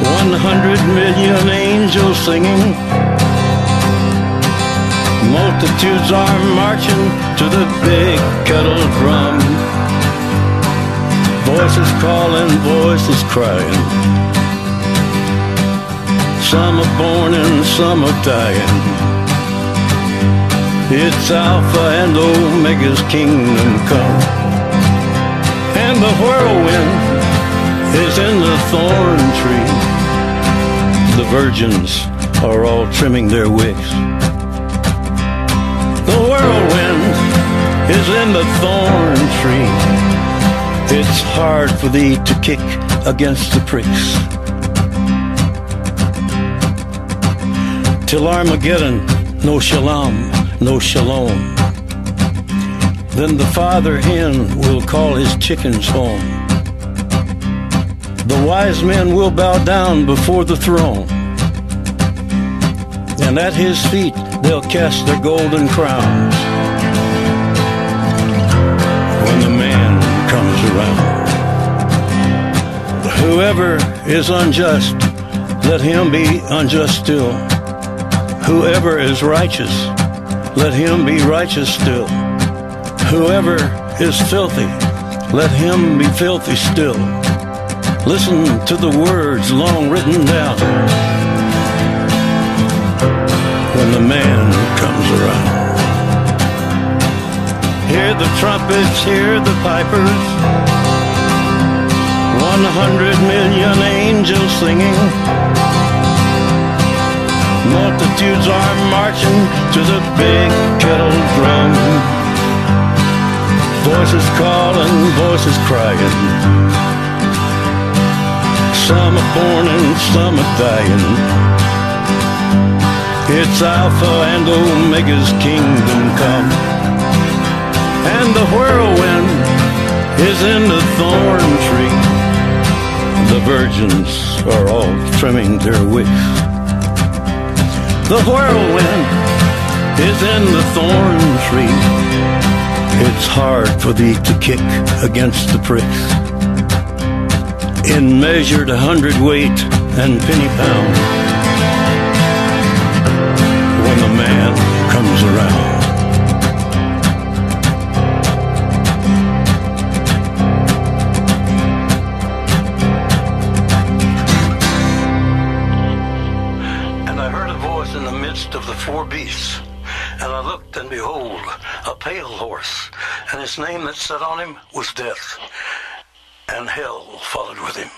one hundred million angels singing. Multitudes are marching to the big kettle drum. Voices calling, voices crying. Some are born and some are dying. It's Alpha and Omega's kingdom come. And the whirlwind is in the thorn tree. The virgins are all trimming their wicks. The whirlwind is in the thorn tree. It's hard for thee to kick against the pricks. Till Armageddon, no shalom, no shalom. Then the father hen will call his chickens home. The wise men will bow down before the throne, and at his feet they'll cast their golden crowns when the man comes around. Whoever is unjust, let him be unjust still. Whoever is righteous, let him be righteous still. Whoever is filthy, let him be filthy still. Listen to the words long written down when the man comes around. Hear the trumpets, hear the pipers, one hundred million angels singing. Multitudes are marching to the big kettle drum. Voices calling, voices crying. Some are born and some are dying. It's Alpha and Omega's kingdom come. And the whirlwind is in the thorn tree. The virgins are all trimming their wicks. The whirlwind is in the thorn tree. It's hard for thee to kick against the pricks. In measured hundredweight and penny pound, when the man comes around. And I heard a voice in the midst of the four beasts, and I looked, and behold, a pale horse, and his name that sat on him was Death, and hell followed with him.